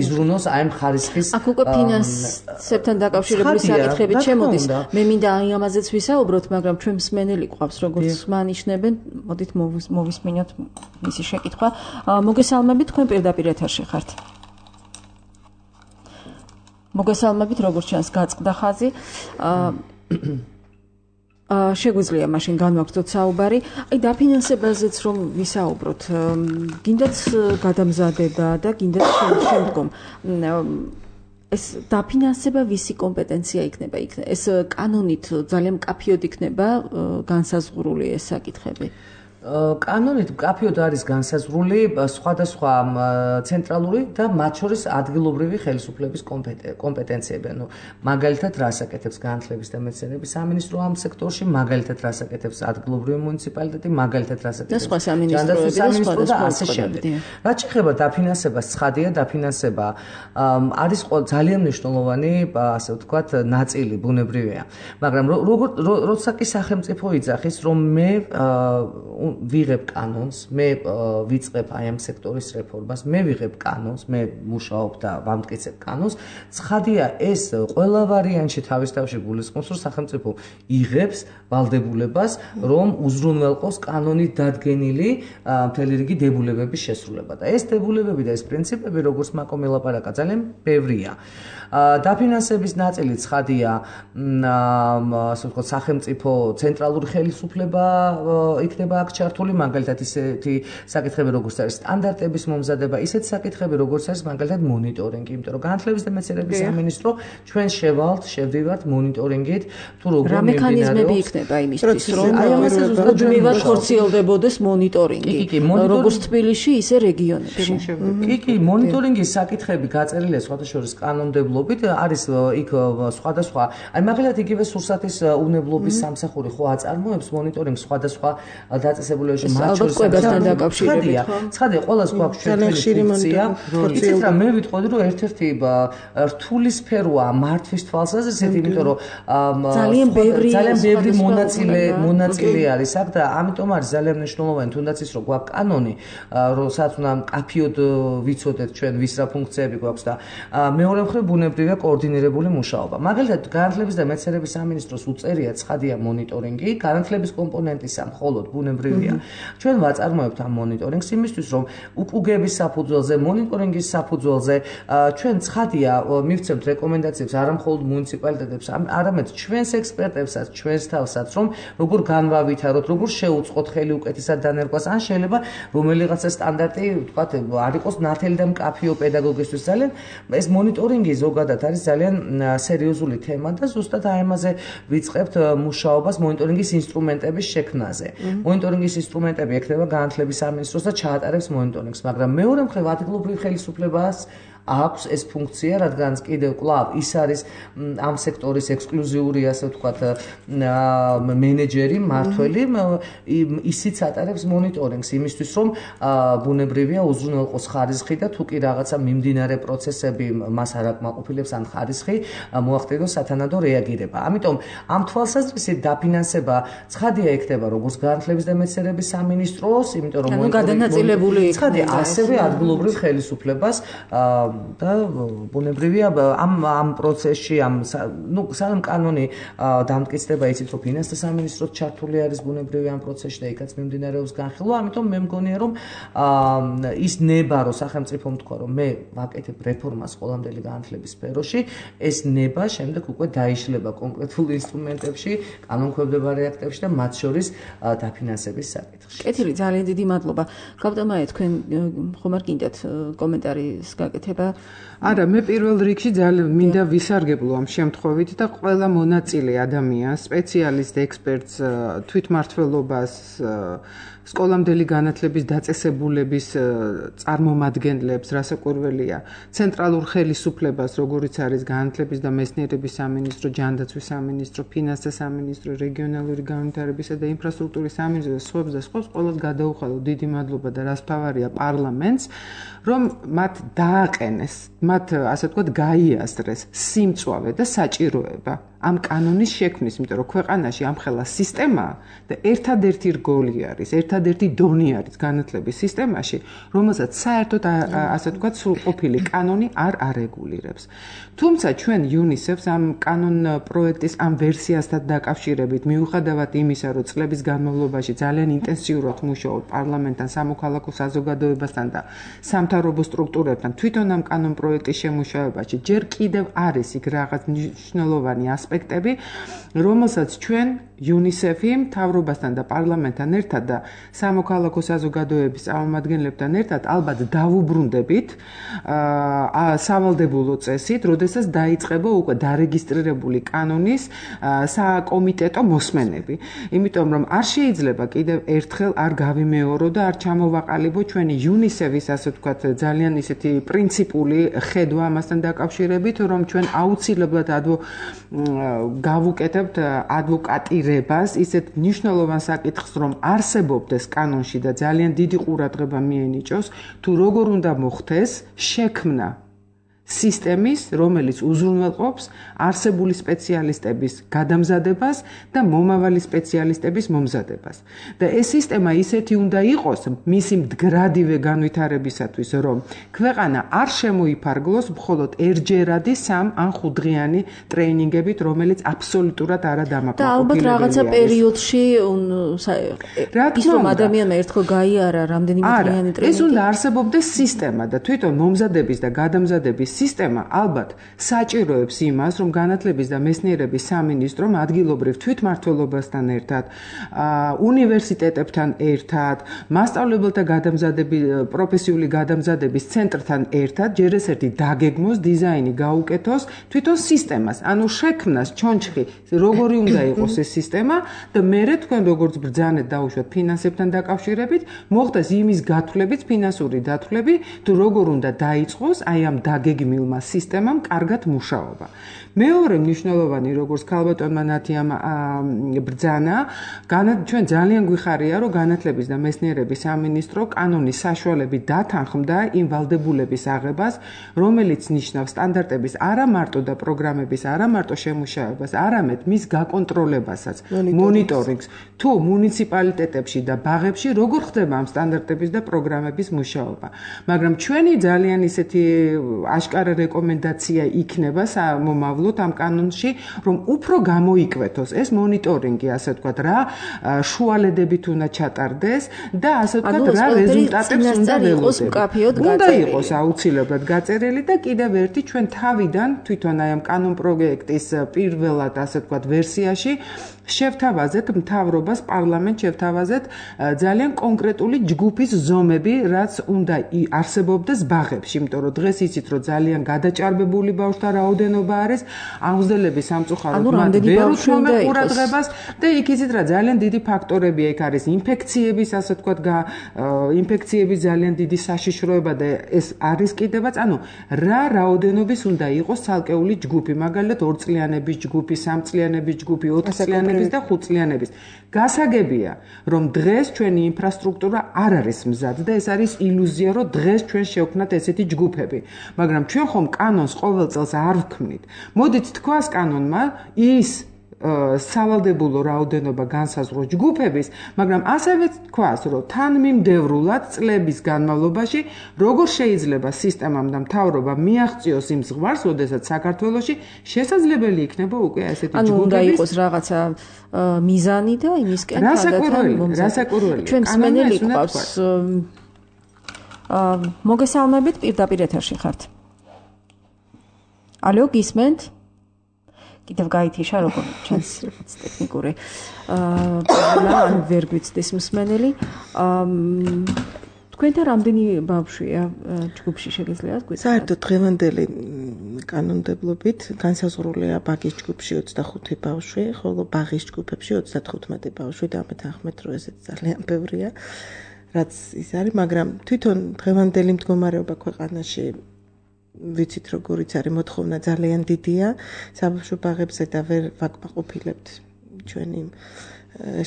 იზრუნოს აი ამ ხარისხის აქ უკვე ფინანსებთან დაკავშირებული საკითხებით შემოდის. მე მინდა აი ამაზეც ვისაუბროთ, მაგრამ ჩვენ მსმენელი გვყავს, როგორც მანიშნებენ, მოდით მოვისმინოთ მისი შეკითხვა. მოგესალმებით, თქვენ პირდაპირ ეთერში ხართ. მოგესალმებით, როგორც ჩანს, გაწყდა ხაზი. შეგვიძლია მაშინ განვაგრძოთ საუბარი. აი დაფინანსებაზეც რომ ვისაუბროთ, გინდათ გადამზადება და გინდათ შემდგომ ეს დაფინანსება ვისი კომპეტენცია იქნება? ეს კანონით ძალიან მკაფიოდ იქნება განსაზღვრული ეს საკითხები. კანონით მკაფიოდ არის განსაზღვრული სხვადასხვა ცენტრალური და მათ შორის ადგილობრივი ხელისუფლების კომპეტენციები. ანუ მაგალითად რას აკეთებს განათლების და მეცნიერების სამინისტრო ამ სექტორში, მაგალითად რას აკეთებს ადგილობრივი მუნიციპალიტეტი, მაგალითად რას აკეთებს სხვა სამინისტროები და ასე შემდეგ. რაც შეეხება დაფინანსებას, ცხადია დაფინანსება არის ძალიან მნიშვნელოვანი, ასე ვთქვათ, ნაწილი ბუნებრივია. მაგრამ როგორ როცა კი სახელმწიფო იძახის, რომ მე ვიღებ კანონს, მე ვიწყებ აი ამ სექტორის რეფორმას, მე ვიღებ კანონს, მე მუშაობ და ვამტკიცებ კანონს, ცხადია ეს ყველა ვარიანტში თავის თავში გულისხმობს, რომ სახელმწიფო იღებს ვალდებულებას, რომ უზრუნველყოს კანონით დადგენილი მთელი რიგი დებულებების შესრულება. და ეს დებულებები და ეს პრინციპები, როგორც მაკომ ელაპარაკა, ძალიან ბევრია. დაფინანსების ნაწილი ცხადია, ასე ვთქვათ, სახელმწიფო ცენტრალური ხელისუფლება იქნება აქ ჩართული, მაგალითად ისეთი საკითხები, როგორც არის სტანდარტების მომზადება, ისეთი საკითხები, როგორც არის მაგალითად მონიტორინგი, იმიტომ რომ განათლების და მეცნიერების სამინისტრო ჩვენ შევალთ, შევდივართ მონიტორინგით, თუ როგორ რა მექანიზმები იქნება იმისთვის, რომ მუდმივად ხორციელდებოდეს მონიტორინგი, როგორც თბილისში, ისე რეგიონებში. კი, კი, მონიტორინგის საკითხები გაწერილია სხვადასხვა კანონმდებლობით, არის იქ სხვადასხვა, აი მაგალითად იგივე სურსათის უნებლობის სამსახური ხო აწარმოებს მონიტორინგს სხვადასხვა დაწესებულებაში მათ შორის კვებასთან დაკავშირებით. ცხადია, ყველას გვაქვს ჩვენი ფუნქცია. იცით რა, მე ვიტყოდი, რომ ერთ-ერთი რთული სფეროა მართვის თვალსაზრისით, იმიტომ რომ ძალიან ბევრი ძალიან ბევრი მონაწილე მონაწილე არის აქ და ამიტომ არის ძალიან მნიშვნელოვანი, თუნდაც ის რომ გვაქვს კანონი, რომელსაც უნდა მკაფიოდ ვიცოდეთ ჩვენ ვის რა ფუნქციები გვაქვს და მეორე მხრივ ბუნებრივია კოორდინირებული მუშაობა. მაგალითად, განათლების და მეცნიერების სამინისტროს უწერია ცხადია მონიტორინგი, განათლების კომპონენტისა მხოლოდ ბუნებრივია. ჩვენ ვაწარმოებთ ამ მონიტორინგს იმისთვის, რომ უკუგების საფუძველზე, მონიტორინგის საფუძველზე ჩვენ ცხადია მივცემთ რეკომენდაციებს არა მხოლოდ მუნიციპალიტეტებს, არამედ ჩვენს ექსპერტებსაც, ჩვენს თავსაც, რომ როგორ განვავითაროთ, როგორ შევუწყოთ ხელი უკეთესად დანერგვას, ან შეიძლება რომელიღაცა სტანდარტი, ვთქვათ, არ იყოს ნათელი და მკაფიო პედაგოგისთვის. ძალიან ეს მონიტორინგი ზოგადად არის ძალიან სერიოზული თემა და ზუსტად აი ამაზე ვიწყებთ მუშაობას მონიტორინგის ინსტრუმენტების შექმნაზე. მონიტორინგის ინსტრუმენტები ექნება განათლების სამინისტროს და ჩაატარებს მონიტორინგს, მაგრამ მეორე მხრივ ადგილობრივ ხელისუფლებას აქვს ეს ფუნქცია, რადგანაც კიდევ კვლავ ის არის ამ სექტორის ექსკლუზიური, ასე ვთქვათ, მენეჯერი, მმართველი, ისიც ატარებს მონიტორინგს იმისთვის, რომ ბუნებრივია უზრუნველყოს ხარისხი და თუ კი რაღაცა მიმდინარე პროცესები მას არ აკმაყოფილებს ან ხარისხი მოახდინოს სათანადო რეაგირება. ამიტომ ამ თვალსაზრისით დაფინანსება ცხადია იქნება როგორც განათლების და მეცნიერების სამინისტროს, იმიტომ რომ გადანაწილებული იქნება ასევე ადგილობრივ ხელისუფლებას და ბუნებრივია ამ ამ პროცესში ამ ნუ სანამ კანონი დამტკიცდება, იცით რომ ფინანსთა სამინისტროს ჩართული არის ბუნებრივია ამ პროცესში და იქაც მიმდინარეობს განხილვა, ამიტომ მე მგონია რომ ის ნება რომ სახელმწიფომ თქვა რომ მე ვაკეთებ რეფორმას ყველამდელი განათლების სფეროში, ეს ნება შემდეგ უკვე დაიშლება კონკრეტულ ინსტრუმენტებში, კანონქვემდებარე აქტებში და მათ შორის დაფინანსების საკითხში. კეთილი, ძალიან დიდი მადლობა. გაბტომაე, თქვენ ხომ არ გინდათ კომენტარის გაკეთება? არა, მე პირველ რიგში ძალიან მინდა ვისარგებლო ამ შემთხვევით და ყველა მონაწილე ადამიანს, სპეციალისტ, ექსპერტს, თვითმმართველობას, სკოლამდელი განათლების დაწესებულების წარმომადგენლებს, რასაკვირველია, ცენტრალურ ხელისუფლებას, როგორიც არის განათლების და მეცნიერების სამინისტრო, ჯანდაცვის სამინისტრო, ფინანსთა სამინისტრო, რეგიონალური განვითარებისა და ინფრასტრუქტურის სამინისტრო, სხვებს და სხვებს ყველას გადაუხადო დიდი მადლობა და რასფავარია პარლამენტს, რომ მათ დააყენეს, მათ ასე ვთქვათ, გაიაზრეს სიმწვავე და საჭიროება ამ კანონის შექმნის, იმიტომ რომ ქვეყანაში ამხელა სისტემაა და ერთადერთი რგოლი არის, ერთადერთი დონი არის განათლების სისტემაში, რომელსაც საერთოდ ასე ვთქვათ, სრულყოფილი კანონი არ არეგულირებს. თუმცა ჩვენ იუნისეფს ამ კანონ პროექტის ამ ვერსიასთან დაკავშირებით, მიუხედავად იმისა, რომ წლების განმავლობაში ძალიან ინტენსიურად მუშაობთ პარლამენტთან, სამოქალაქო საზოგადოებასთან და სამთავრობო სტრუქტურებთან, თვითონ ამ კანონ პროექტის შემუშავებაში ჯერ კიდევ არის იქ რაღაც მნიშვნელოვანი ასპექტები, რომელსაც ჩვენ იუნისეფი მთავრობასთან და პარლამენტთან ერთად და სამოქალაქო საზოგადოების წარმომადგენლებთან ერთად ალბათ დავუბრუნდებით აა სავალდებულო წესით, როდესაც დაიწყება უკვე დარეგისტრირებული კანონის საკომიტეტო მოსმენები. იმიტომ რომ არ შეიძლება კიდევ ერთხელ არ გავიმეორო და არ ჩამოვაყალიბო ჩვენი იუნისეფის ასე ვთქვათ ძალიან ისეთი პრინციპული ხედვა ამასთან დაკავშირებით, რომ ჩვენ აუცილებლად ადვო გავუკეთებთ ადვოკატირებას ისეთ მნიშვნელოვან საკითხს, რომ არსებობდეს კანონში და ძალიან დიდი ყურადღება მიენიჭოს, თუ როგორ უნდა მოხდეს შექმნა სისტემის, რომელიც უზრუნველყოფს არსებული სპეციალისტების გადამზადებას და მომავალი სპეციალისტების მომზადებას. და ეს სისტემა ისეთი უნდა იყოს მისი მდგრადივე განვითარებისათვის, რომ ქვეყანა არ შემოიფარგლოს მხოლოდ ერჯერადი სამ ან ხუთდღიანი ტრეინინგებით, რომელიც აბსოლუტურად არადამაკმაყოფილებელი და ალბათ რაღაცა პერიოდში ის რომ ადამიანმა ერთხელ გაიარა რამდენიმე დღიანი ტრეინინგი. ეს უნდა არსებობდეს სისტემა და თვითონ მომზადების და გადამზადების სისტემა ალბათ საჭიროებს იმას, რომ განათლების და მეცნიერების სამინისტრომ ადგილობრივ თვითმმართველობასთან ერთად, უნივერსიტეტებთან ერთად, მასწავლებელთა გადამზადების პროფესიული გადამზადების ცენტრთან ერთად ჯერ ეს ერთი დაგეგმოს, დიზაინი გაუკეთოს თვითონ სისტემას, ანუ შექმნას ჩონჩხი, როგორი უნდა იყოს ეს სისტემა და მერე თქვენ როგორც ბრძანეთ დაუშვათ ფინანსებთან დაკავშირებით, მოხდეს იმის გათვლებიც, ფინანსური დათვლები, თუ როგორ უნდა დაიწყოს აი ამ დაგეგმ მილმა სისტემამ კარგად მუშაობა. მეორე მნიშვნელოვანი, როგორც ქალბატონმა ნათიამ ბრძანა, ჩვენ ძალიან გვიხარია, რომ განათლების და მეცნიერების სამინისტრო კანონის საშუალებით დათანხმდა იმ ვალდებულების აღებას, რომელიც ნიშნავს სტანდარტების არა მარტო და პროგრამების არა მარტო შემუშავებას, არამედ მის გაკონტროლებასაც, მონიტორინგს, თუ მუნიციპალიტეტებში და ბაღებში როგორ ხდება ამ სტანდარტების და პროგრამების მუშაობა. მაგრამ ჩვენი ძალიან ისეთი აშკარა რეკომენდაცია იქნება მომავლოდ ამ კანონში, რომ უფრო გამოიკვეთოს ეს მონიტორინგი, ასე ვთქვათ, რა შუალედებით უნდა ჩატარდეს და ასე ვთქვათ, რა რეზულტატებს უნდა ველოდებით. უნდა იყოს აუცილებლად გაწერილი და კიდევ ერთი ჩვენ თავიდან თვითონ აი ამ კანონ პროექტის პირველად, ასე ვთქვათ, ვერსიაში შევთავაზეთ მთავრობას, პარლამენტს შევთავაზეთ ძალიან კონკრეტული ჯგუფის ზომები, რაც უნდა არსებობდეს ბაღებში, იმიტომ რომ დღეს იცით, რომ ძალიან გადაჭარბებული ბავშვთა რაოდენობა არის, აუზელები სამწუხაროდ მათ ვერ უთმობენ ყურადღებას და იქ იცით რა ძალიან დიდი ფაქტორებია, იქ არის ინფექციების, ასე ვთქვათ, ინფექციების ძალიან დიდი საშიშროება და ეს არის კიდევაც, ანუ რა რაოდენობის უნდა იყოს ცალკეული ჯგუფი, მაგალითად ორწლიანების ჯგუფი, სამწლიანების ჯგუფი, ოთხწლიანების და ხუთწლიანების. გასაგებია, რომ დღეს ჩვენი ინფრასტრუქტურა არ არის მზად და ეს არის ილუზია, რომ დღეს ჩვენ შევქმნათ ესეთი ჯგუფები. მაგრამ ჩვენ ხომ კანონს ყოველ წელს არ ვქმნით. მოდით თქვას კანონმა ის სავალდებულო რაოდენობა განსაზღვროს ჯგუფების, მაგრამ ასევე თქვას, რომ თანმიმდევრულად წლების განმავლობაში როგორ შეიძლება სისტემამ და მთავრობამ მიაღწიოს იმ ზღვარს, როდესაც საქართველოში შესაძლებელი იქნება უკვე ესეთი ჯგუფების. ანუ უნდა იყოს რაღაცა მიზანი და იმისკენ გადათან მომზადდა. რასაკვირველი? ჩვენ მსმენელი გვყავს. მოგესალმებით, პირდაპირ ეთერში ხართ. ალო, გისმენთ? კიდევ გაითიშა როგორ ჩვენს ტექნიკური აა ან ვერ გვიცდის მსმენელი. თქვენთან რამდენი ბავშვია ჯგუფში შეგიძლიათ გვიცნოთ? საერთოდ დღევანდელი კანონმდებლობით განსაზღვრულია ბაგის ჯგუფში ოცდახუთი ბავშვი, ხოლო ბაღის ჯგუფებში ოცდათხუთმეტი ბავშვი და ამეთანხმეთ, რომ ესეც ძალიან ბევრია, რაც ის არის, მაგრამ თვითონ დღევანდელი მდგომარეობა ქვეყანაში ვიცით როგორიც არის მოთხოვნა ძალიან დიდია საბავშვო ბაღებზე და ვერ ვაკმაყოფილებთ ჩვენი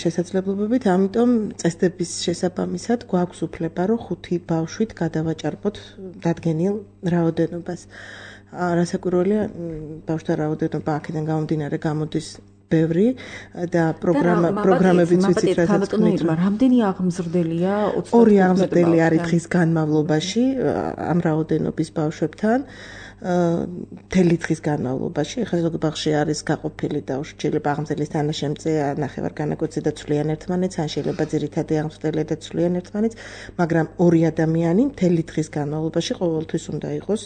შესაძლებლობებით, ამიტომ წესდების შესაბამისად გვაქვს უფლება, რომ ხუთი ბავშვით გადავაჭარბოთ დადგენილ რაოდენობას. რასაკვირველია, ბავშვთა რაოდენობა აქედან გამომდინარე გამოდის ბევრი და პროგრამა პროგრამებიც ვიცით რასაც თქვით. რამდენი აღმზრდელია? ორი აღმზრდელი არის დღის განმავლობაში ამ რაოდენობის ბავშვებთან. მთელი დღის განმავლობაში, ეხლა ზოგი ბაღში არის გაყოფილი და შეიძლება აღმზრდელის თანაშემწე ნახევარგანაკოცი და ცვლიან ერთმანეთს, ან შეიძლება ძირითადი აღმზრდელი და ცვლიან ერთმანეთს, მაგრამ ორი ადამიანი მთელი დღის განმავლობაში ყოველთვის უნდა იყოს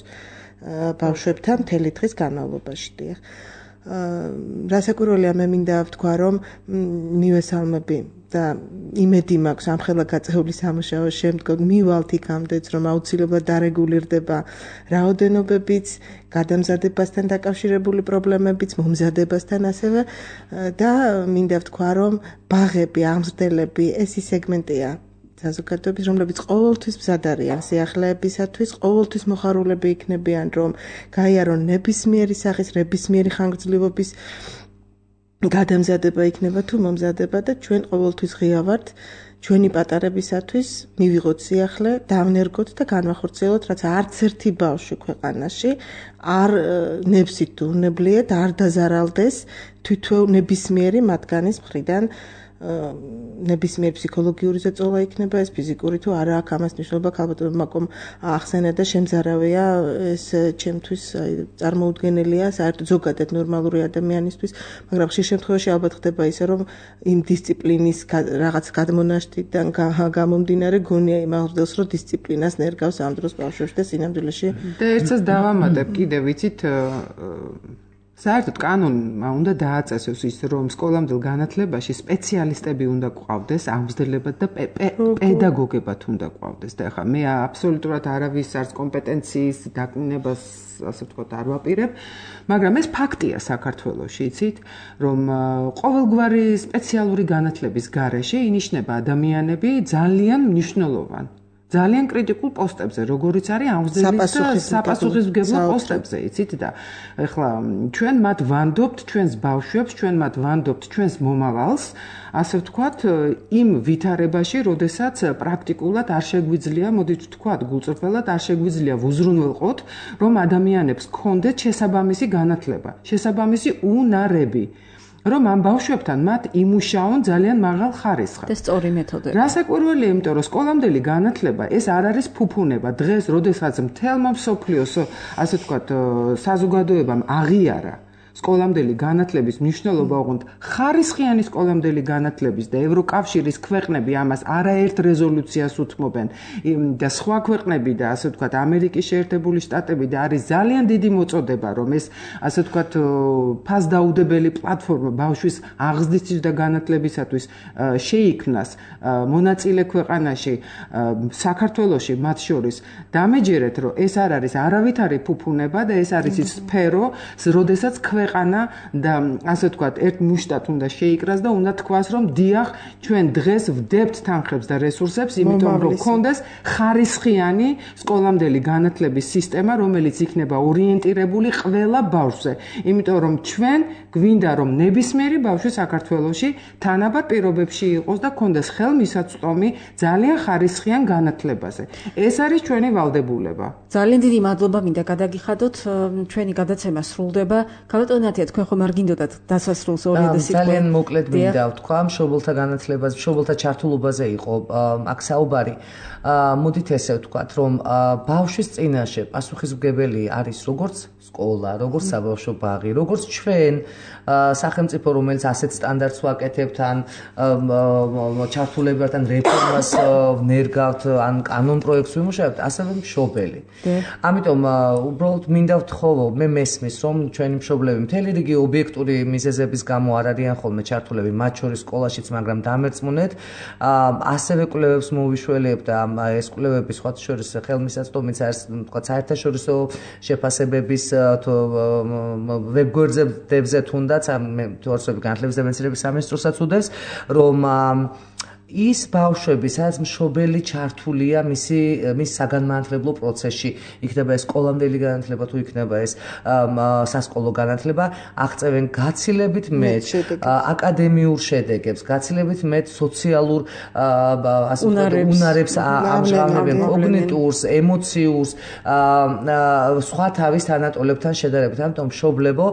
ბავშვებთან მთელი დღის განმავლობაში. დიახ. რასაკვირველია, მე მინდა ვთქვა, რომ მივესალმები და იმედი მაქვს ამხელა გაწეული სამუშაოს შემდგომ მივალთ იქამდეც, რომ აუცილებლად დარეგულირდება რაოდენობებიც, გადამზადებასთან დაკავშირებული პრობლემებიც, მომზადებასთან ასევე და მინდა ვთქვა, რომ ბაღები, აღმზრდელები ეს ის სეგმენტია საზოგადოების, რომლებიც ყოველთვის მზად არიან სიახლეებისათვის, ყოველთვის მოხარულები იქნებიან, რომ გაიარონ ნებისმიერი სახის, ნებისმიერი ხანგრძლივობის გადამზადება იქნება თუ მომზადება და ჩვენ ყოველთვის ღია ვართ ჩვენი პატარებისათვის მივიღოთ სიახლე, დავნერგოთ და განვახორციელოთ, რაც არც ერთი ბავშვი ქვეყანაში არ ნებსით დურნებლიეთ, არ დაზარალდეს თვითონ ნებისმიერი მათგანის მხრიდან ნებისმიერ ფსიქოლოგიური ზეწოლა იქნება ეს ფიზიკური თუ არა აქვს ამას ნიშნულობა ქალბატონმა მაკომ ახსენა და შემზარავია ეს ჩემთვის წარმოუდგენელია საერთოდ ზოგადად ნორმალური ადამიანისთვის მაგრამ ხშირ შემთხვევაში ალბათ ხდება ისე რომ იმ დისციპლინის რაღაც გადმონაშთიდან გამომდინარე გონია იმ აღრდელს რომ დისციპლინას ნერგავს ამ დროს ბავშვებში და სინამდვილეში და ერთსაც დავამატებ კიდე ვიცით საერთოდ კანონმა უნდა დააწესოს ის რომ სკოლამდელ განათლებაში სპეციალისტები უნდა გვყავდეს აღმზრდებლებად და პედაგოგებად უნდა გვყავდეს და ახლა მე აბსოლუტურად არავის არც კომპეტენციის დაკნინებას ასე ვთქვათ არ ვაპირებ მაგრამ ეს ფაქტია საქართველოში იცით რომ ყოველგვარი სპეციალური განათლების გარეშე ინიშნება ადამიანები ძალიან მნიშვნელოვანი ძალიან კრიტიკულ პოსტებზე, როგორიც არის აღმზრდელის და საპასუხისმგებლო პოსტებზე, იცით და ეხლა ჩვენ მათ ვანდობთ ჩვენს ბავშვებს, ჩვენ მათ ვანდობთ ჩვენს მომავალს, ასე ვთქვათ, იმ ვითარებაში, როდესაც პრაქტიკულად არ შეგვიძლია, მოდით ვთქვათ, გულწრფელად არ შეგვიძლია ვუზრუნველყოთ, რომ ადამიანებს ჰქონდეთ შესაბამისი განათლება, შესაბამისი უნარები. რომ ამ ბავშვებთან მათ იმუშაონ ძალიან მაღალ ხარისხად. და სწორი მეთოდები. რასაკვირველია, იმიტომ რომ სკოლამდელი განათლება ეს არ არის ფუფუნება. დღეს, როდესაც მთელმა მსოფლიოს, ასე ვთქვათ, საზოგადოებამ აღიარა სკოლამდელი განათლების მნიშვნელობა, ოღონდ ხარისხიანი სკოლამდელი განათლების და ევროკავშირის ქვეყნები ამას არაერთ რეზოლუციას უთმობენ და სხვა ქვეყნები და ასე ვთქვათ, ამერიკის შეერთებული შტატები და არის ძალიან დიდი მოწოდება, რომ ეს ასე ვთქვათ, ფასდაუდებელი პლატფორმა ბავშვის აღზრდისთვის და განათლებისათვის შეიქმნას მონაწილე ქვეყანაში, საქართველოში მათ შორის დამეჯერეთ, რომ ეს არ არის არავითარი ფუფუნება და ეს არის ის სფერო, როდესაც ქვეყანა და ასე ვთქვათ, ერთ მუშტად უნდა შეიკრას და უნდა თქვას, რომ დიახ, ჩვენ დღეს ვდებთ თანხებს და რესურსებს, იმიტომ რომ გქონდეს ხარისხიანი სკოლამდელი განათლების სისტემა, რომელიც იქნება ორიენტირებული ყველა ბავშვზე. იმიტომ რომ ჩვენ გვინდა რომ ნებისმიერი ბავშვი საქართველოში თანაბარ პირობებში იყოს და გქონდეს ხელმისაწვდომი ძალიან ხარისხიან განათლებაზე. ეს არის ჩვენი ვალდებულება. ძალიან დიდი მადლობა მინდა გადაგიხადოთ, ჩვენი გადაცემა სრულდება. ქალბატონათია, თქვენ ხომ არ გინდოდათ დასასრულს ორი და სიტყვა. ძალიან მოკლედ მინდა ვთქვა, მშობელთა განათლებაზე, მშობელთა ჩართულობაზე იყო აქ საუბარი. მოდით ესე ვთქვათ, რომ ბავშვის წინაშე პასუხისმგებელი არის როგორც სკოლა, როგორც საბავშვო ბაღი, როგორც ჩვენ სახელმწიფო, რომელიც ასეთ სტანდარტს ვაკეთებთ, ან ჩართულებებთან ან რეფორმას ნერგავთ, ან კანონ პროექტს ვიმუშავებთ, ასევე მშობელი. ამიტომ უბრალოდ მინდა ვთხოვო, მე მესმის, რომ ჩვენი მშობლები მთელი რიგი ობიექტური მიზეზების გამო არ არიან ხოლმე ჩართულები, მათ შორის სკოლაშიც, მაგრამ დამერწმუნეთ, ასევე კვლევებს მოვიშველებთ და ეს კვლევები სხვა შორის ხელმისაწვდომიც არის, თქვა საერთაშორისო შეფასებების ვებგვერდებზე თუნდაც ამ თორსები განათლების დაბინძურების სამინისტროსაც უდევს, რომ ის ბავშვები, სადაც მშობელი ჩართულია მისი მის საგანმანათლებლო პროცესში, იქნება ეს სკოლამდელი განათლება თუ იქნება ეს სასკოლო განათლება, აღწევენ გაცილებით მეტ აკადემიურ შედეგებს, გაცილებით მეტ სოციალურ ასე ვთქვათ უნარებს ამჟღავნებენ, კოგნიტურს, ემოციურს, სხვა თავის თანატოლებთან შედარებით. ამიტომ მშობლებო,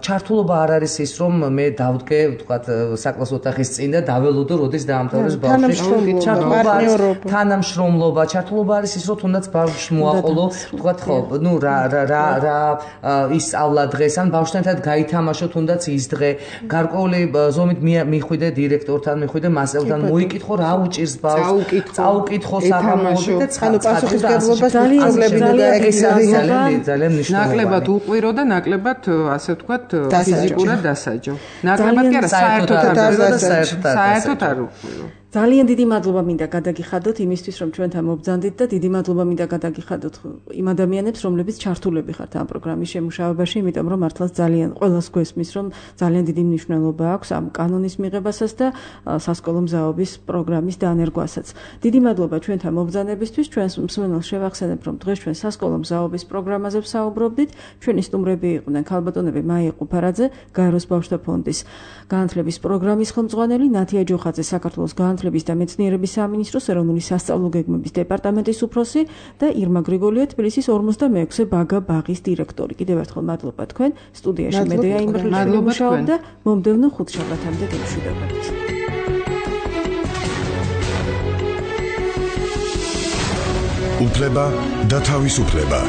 ჩართულობა არ არის ის, რომ მე დავდგე, ვთქვათ, საკლასო ოთახის წინ და დაველოდო, როდის დაამთავრებს ბავშვი. ჩართულობა არის თანამშრომლობა, ჩართულობა არის ის, რომ თუნდაც ბავშვს მოაყოლო, ვთქვათ, ხო, ნუ რა რა რა ისწავლა დღეს, ან ბავშვთან ერთად გაითამაშო თუნდაც ის დღე, გარკვეული ზომით მიხვიდე დირექტორთან, მიხვიდე მასწავლებელთან, მოიკითხო რა უჭირს ბავშვს, წაუკითხო საგამოვლები და პასუხისმგებლობას ძალიან ძალიან ძალიან მნიშვნელოვანია. ნაკლებად უყვირო და ნაკლებად ასე ვთქვათ ფიზიკურად დასაჯო. ნაკლებად კი არა, საერთოდ არ საერთოდ არ უყვირო. ძალიან დიდი მადლობა მინდა გადაგიხადოთ იმისთვის, რომ ჩვენთან მობრძანდით და დიდი მადლობა მინდა გადაგიხადოთ იმ ადამიანებს, რომლებიც ჩართულები ხართ ამ პროგრამის შემუშავებაში, იმიტომ რომ მართლაც ძალიან ყველას გვესმის, რომ ძალიან დიდი მნიშვნელობა აქვს ამ კანონის მიღებასაც და სასკოლო მზაობის პროგრამის დანერგვასაც. დიდი მადლობა ჩვენთან მობრძანებისთვის, ჩვენს მსმენელს შევახსენებ, რომ დღეს ჩვენ სასკოლო მზაობის პროგრამაზე ვსაუბრობდით. ჩვენი სტუმრები იყვნენ ქალბატონები მაია ყუფარაძე, გაეროს ბავშვთა ფონდის განათლების პროგრამის ხელმძღვანელი, ნათია ჯოხაძე, საქართველოს განათლების და მეცნიერების სამინისტროს ეროვნული სასწავლო გეგმების დეპარტამენტის უფროსი და ირმა გრიგოლია, თბილისის ორმოცდამეექვსე ბაგა ბაღის დირექტორი. კიდევ ერთხელ მადლობა თქვენ. სტუდიაში მედეა იმრეშელი მუშაობდა. მომდევნო ხუთშაბათამდე გემშვიდობებით. უფლება და თავისუფლება.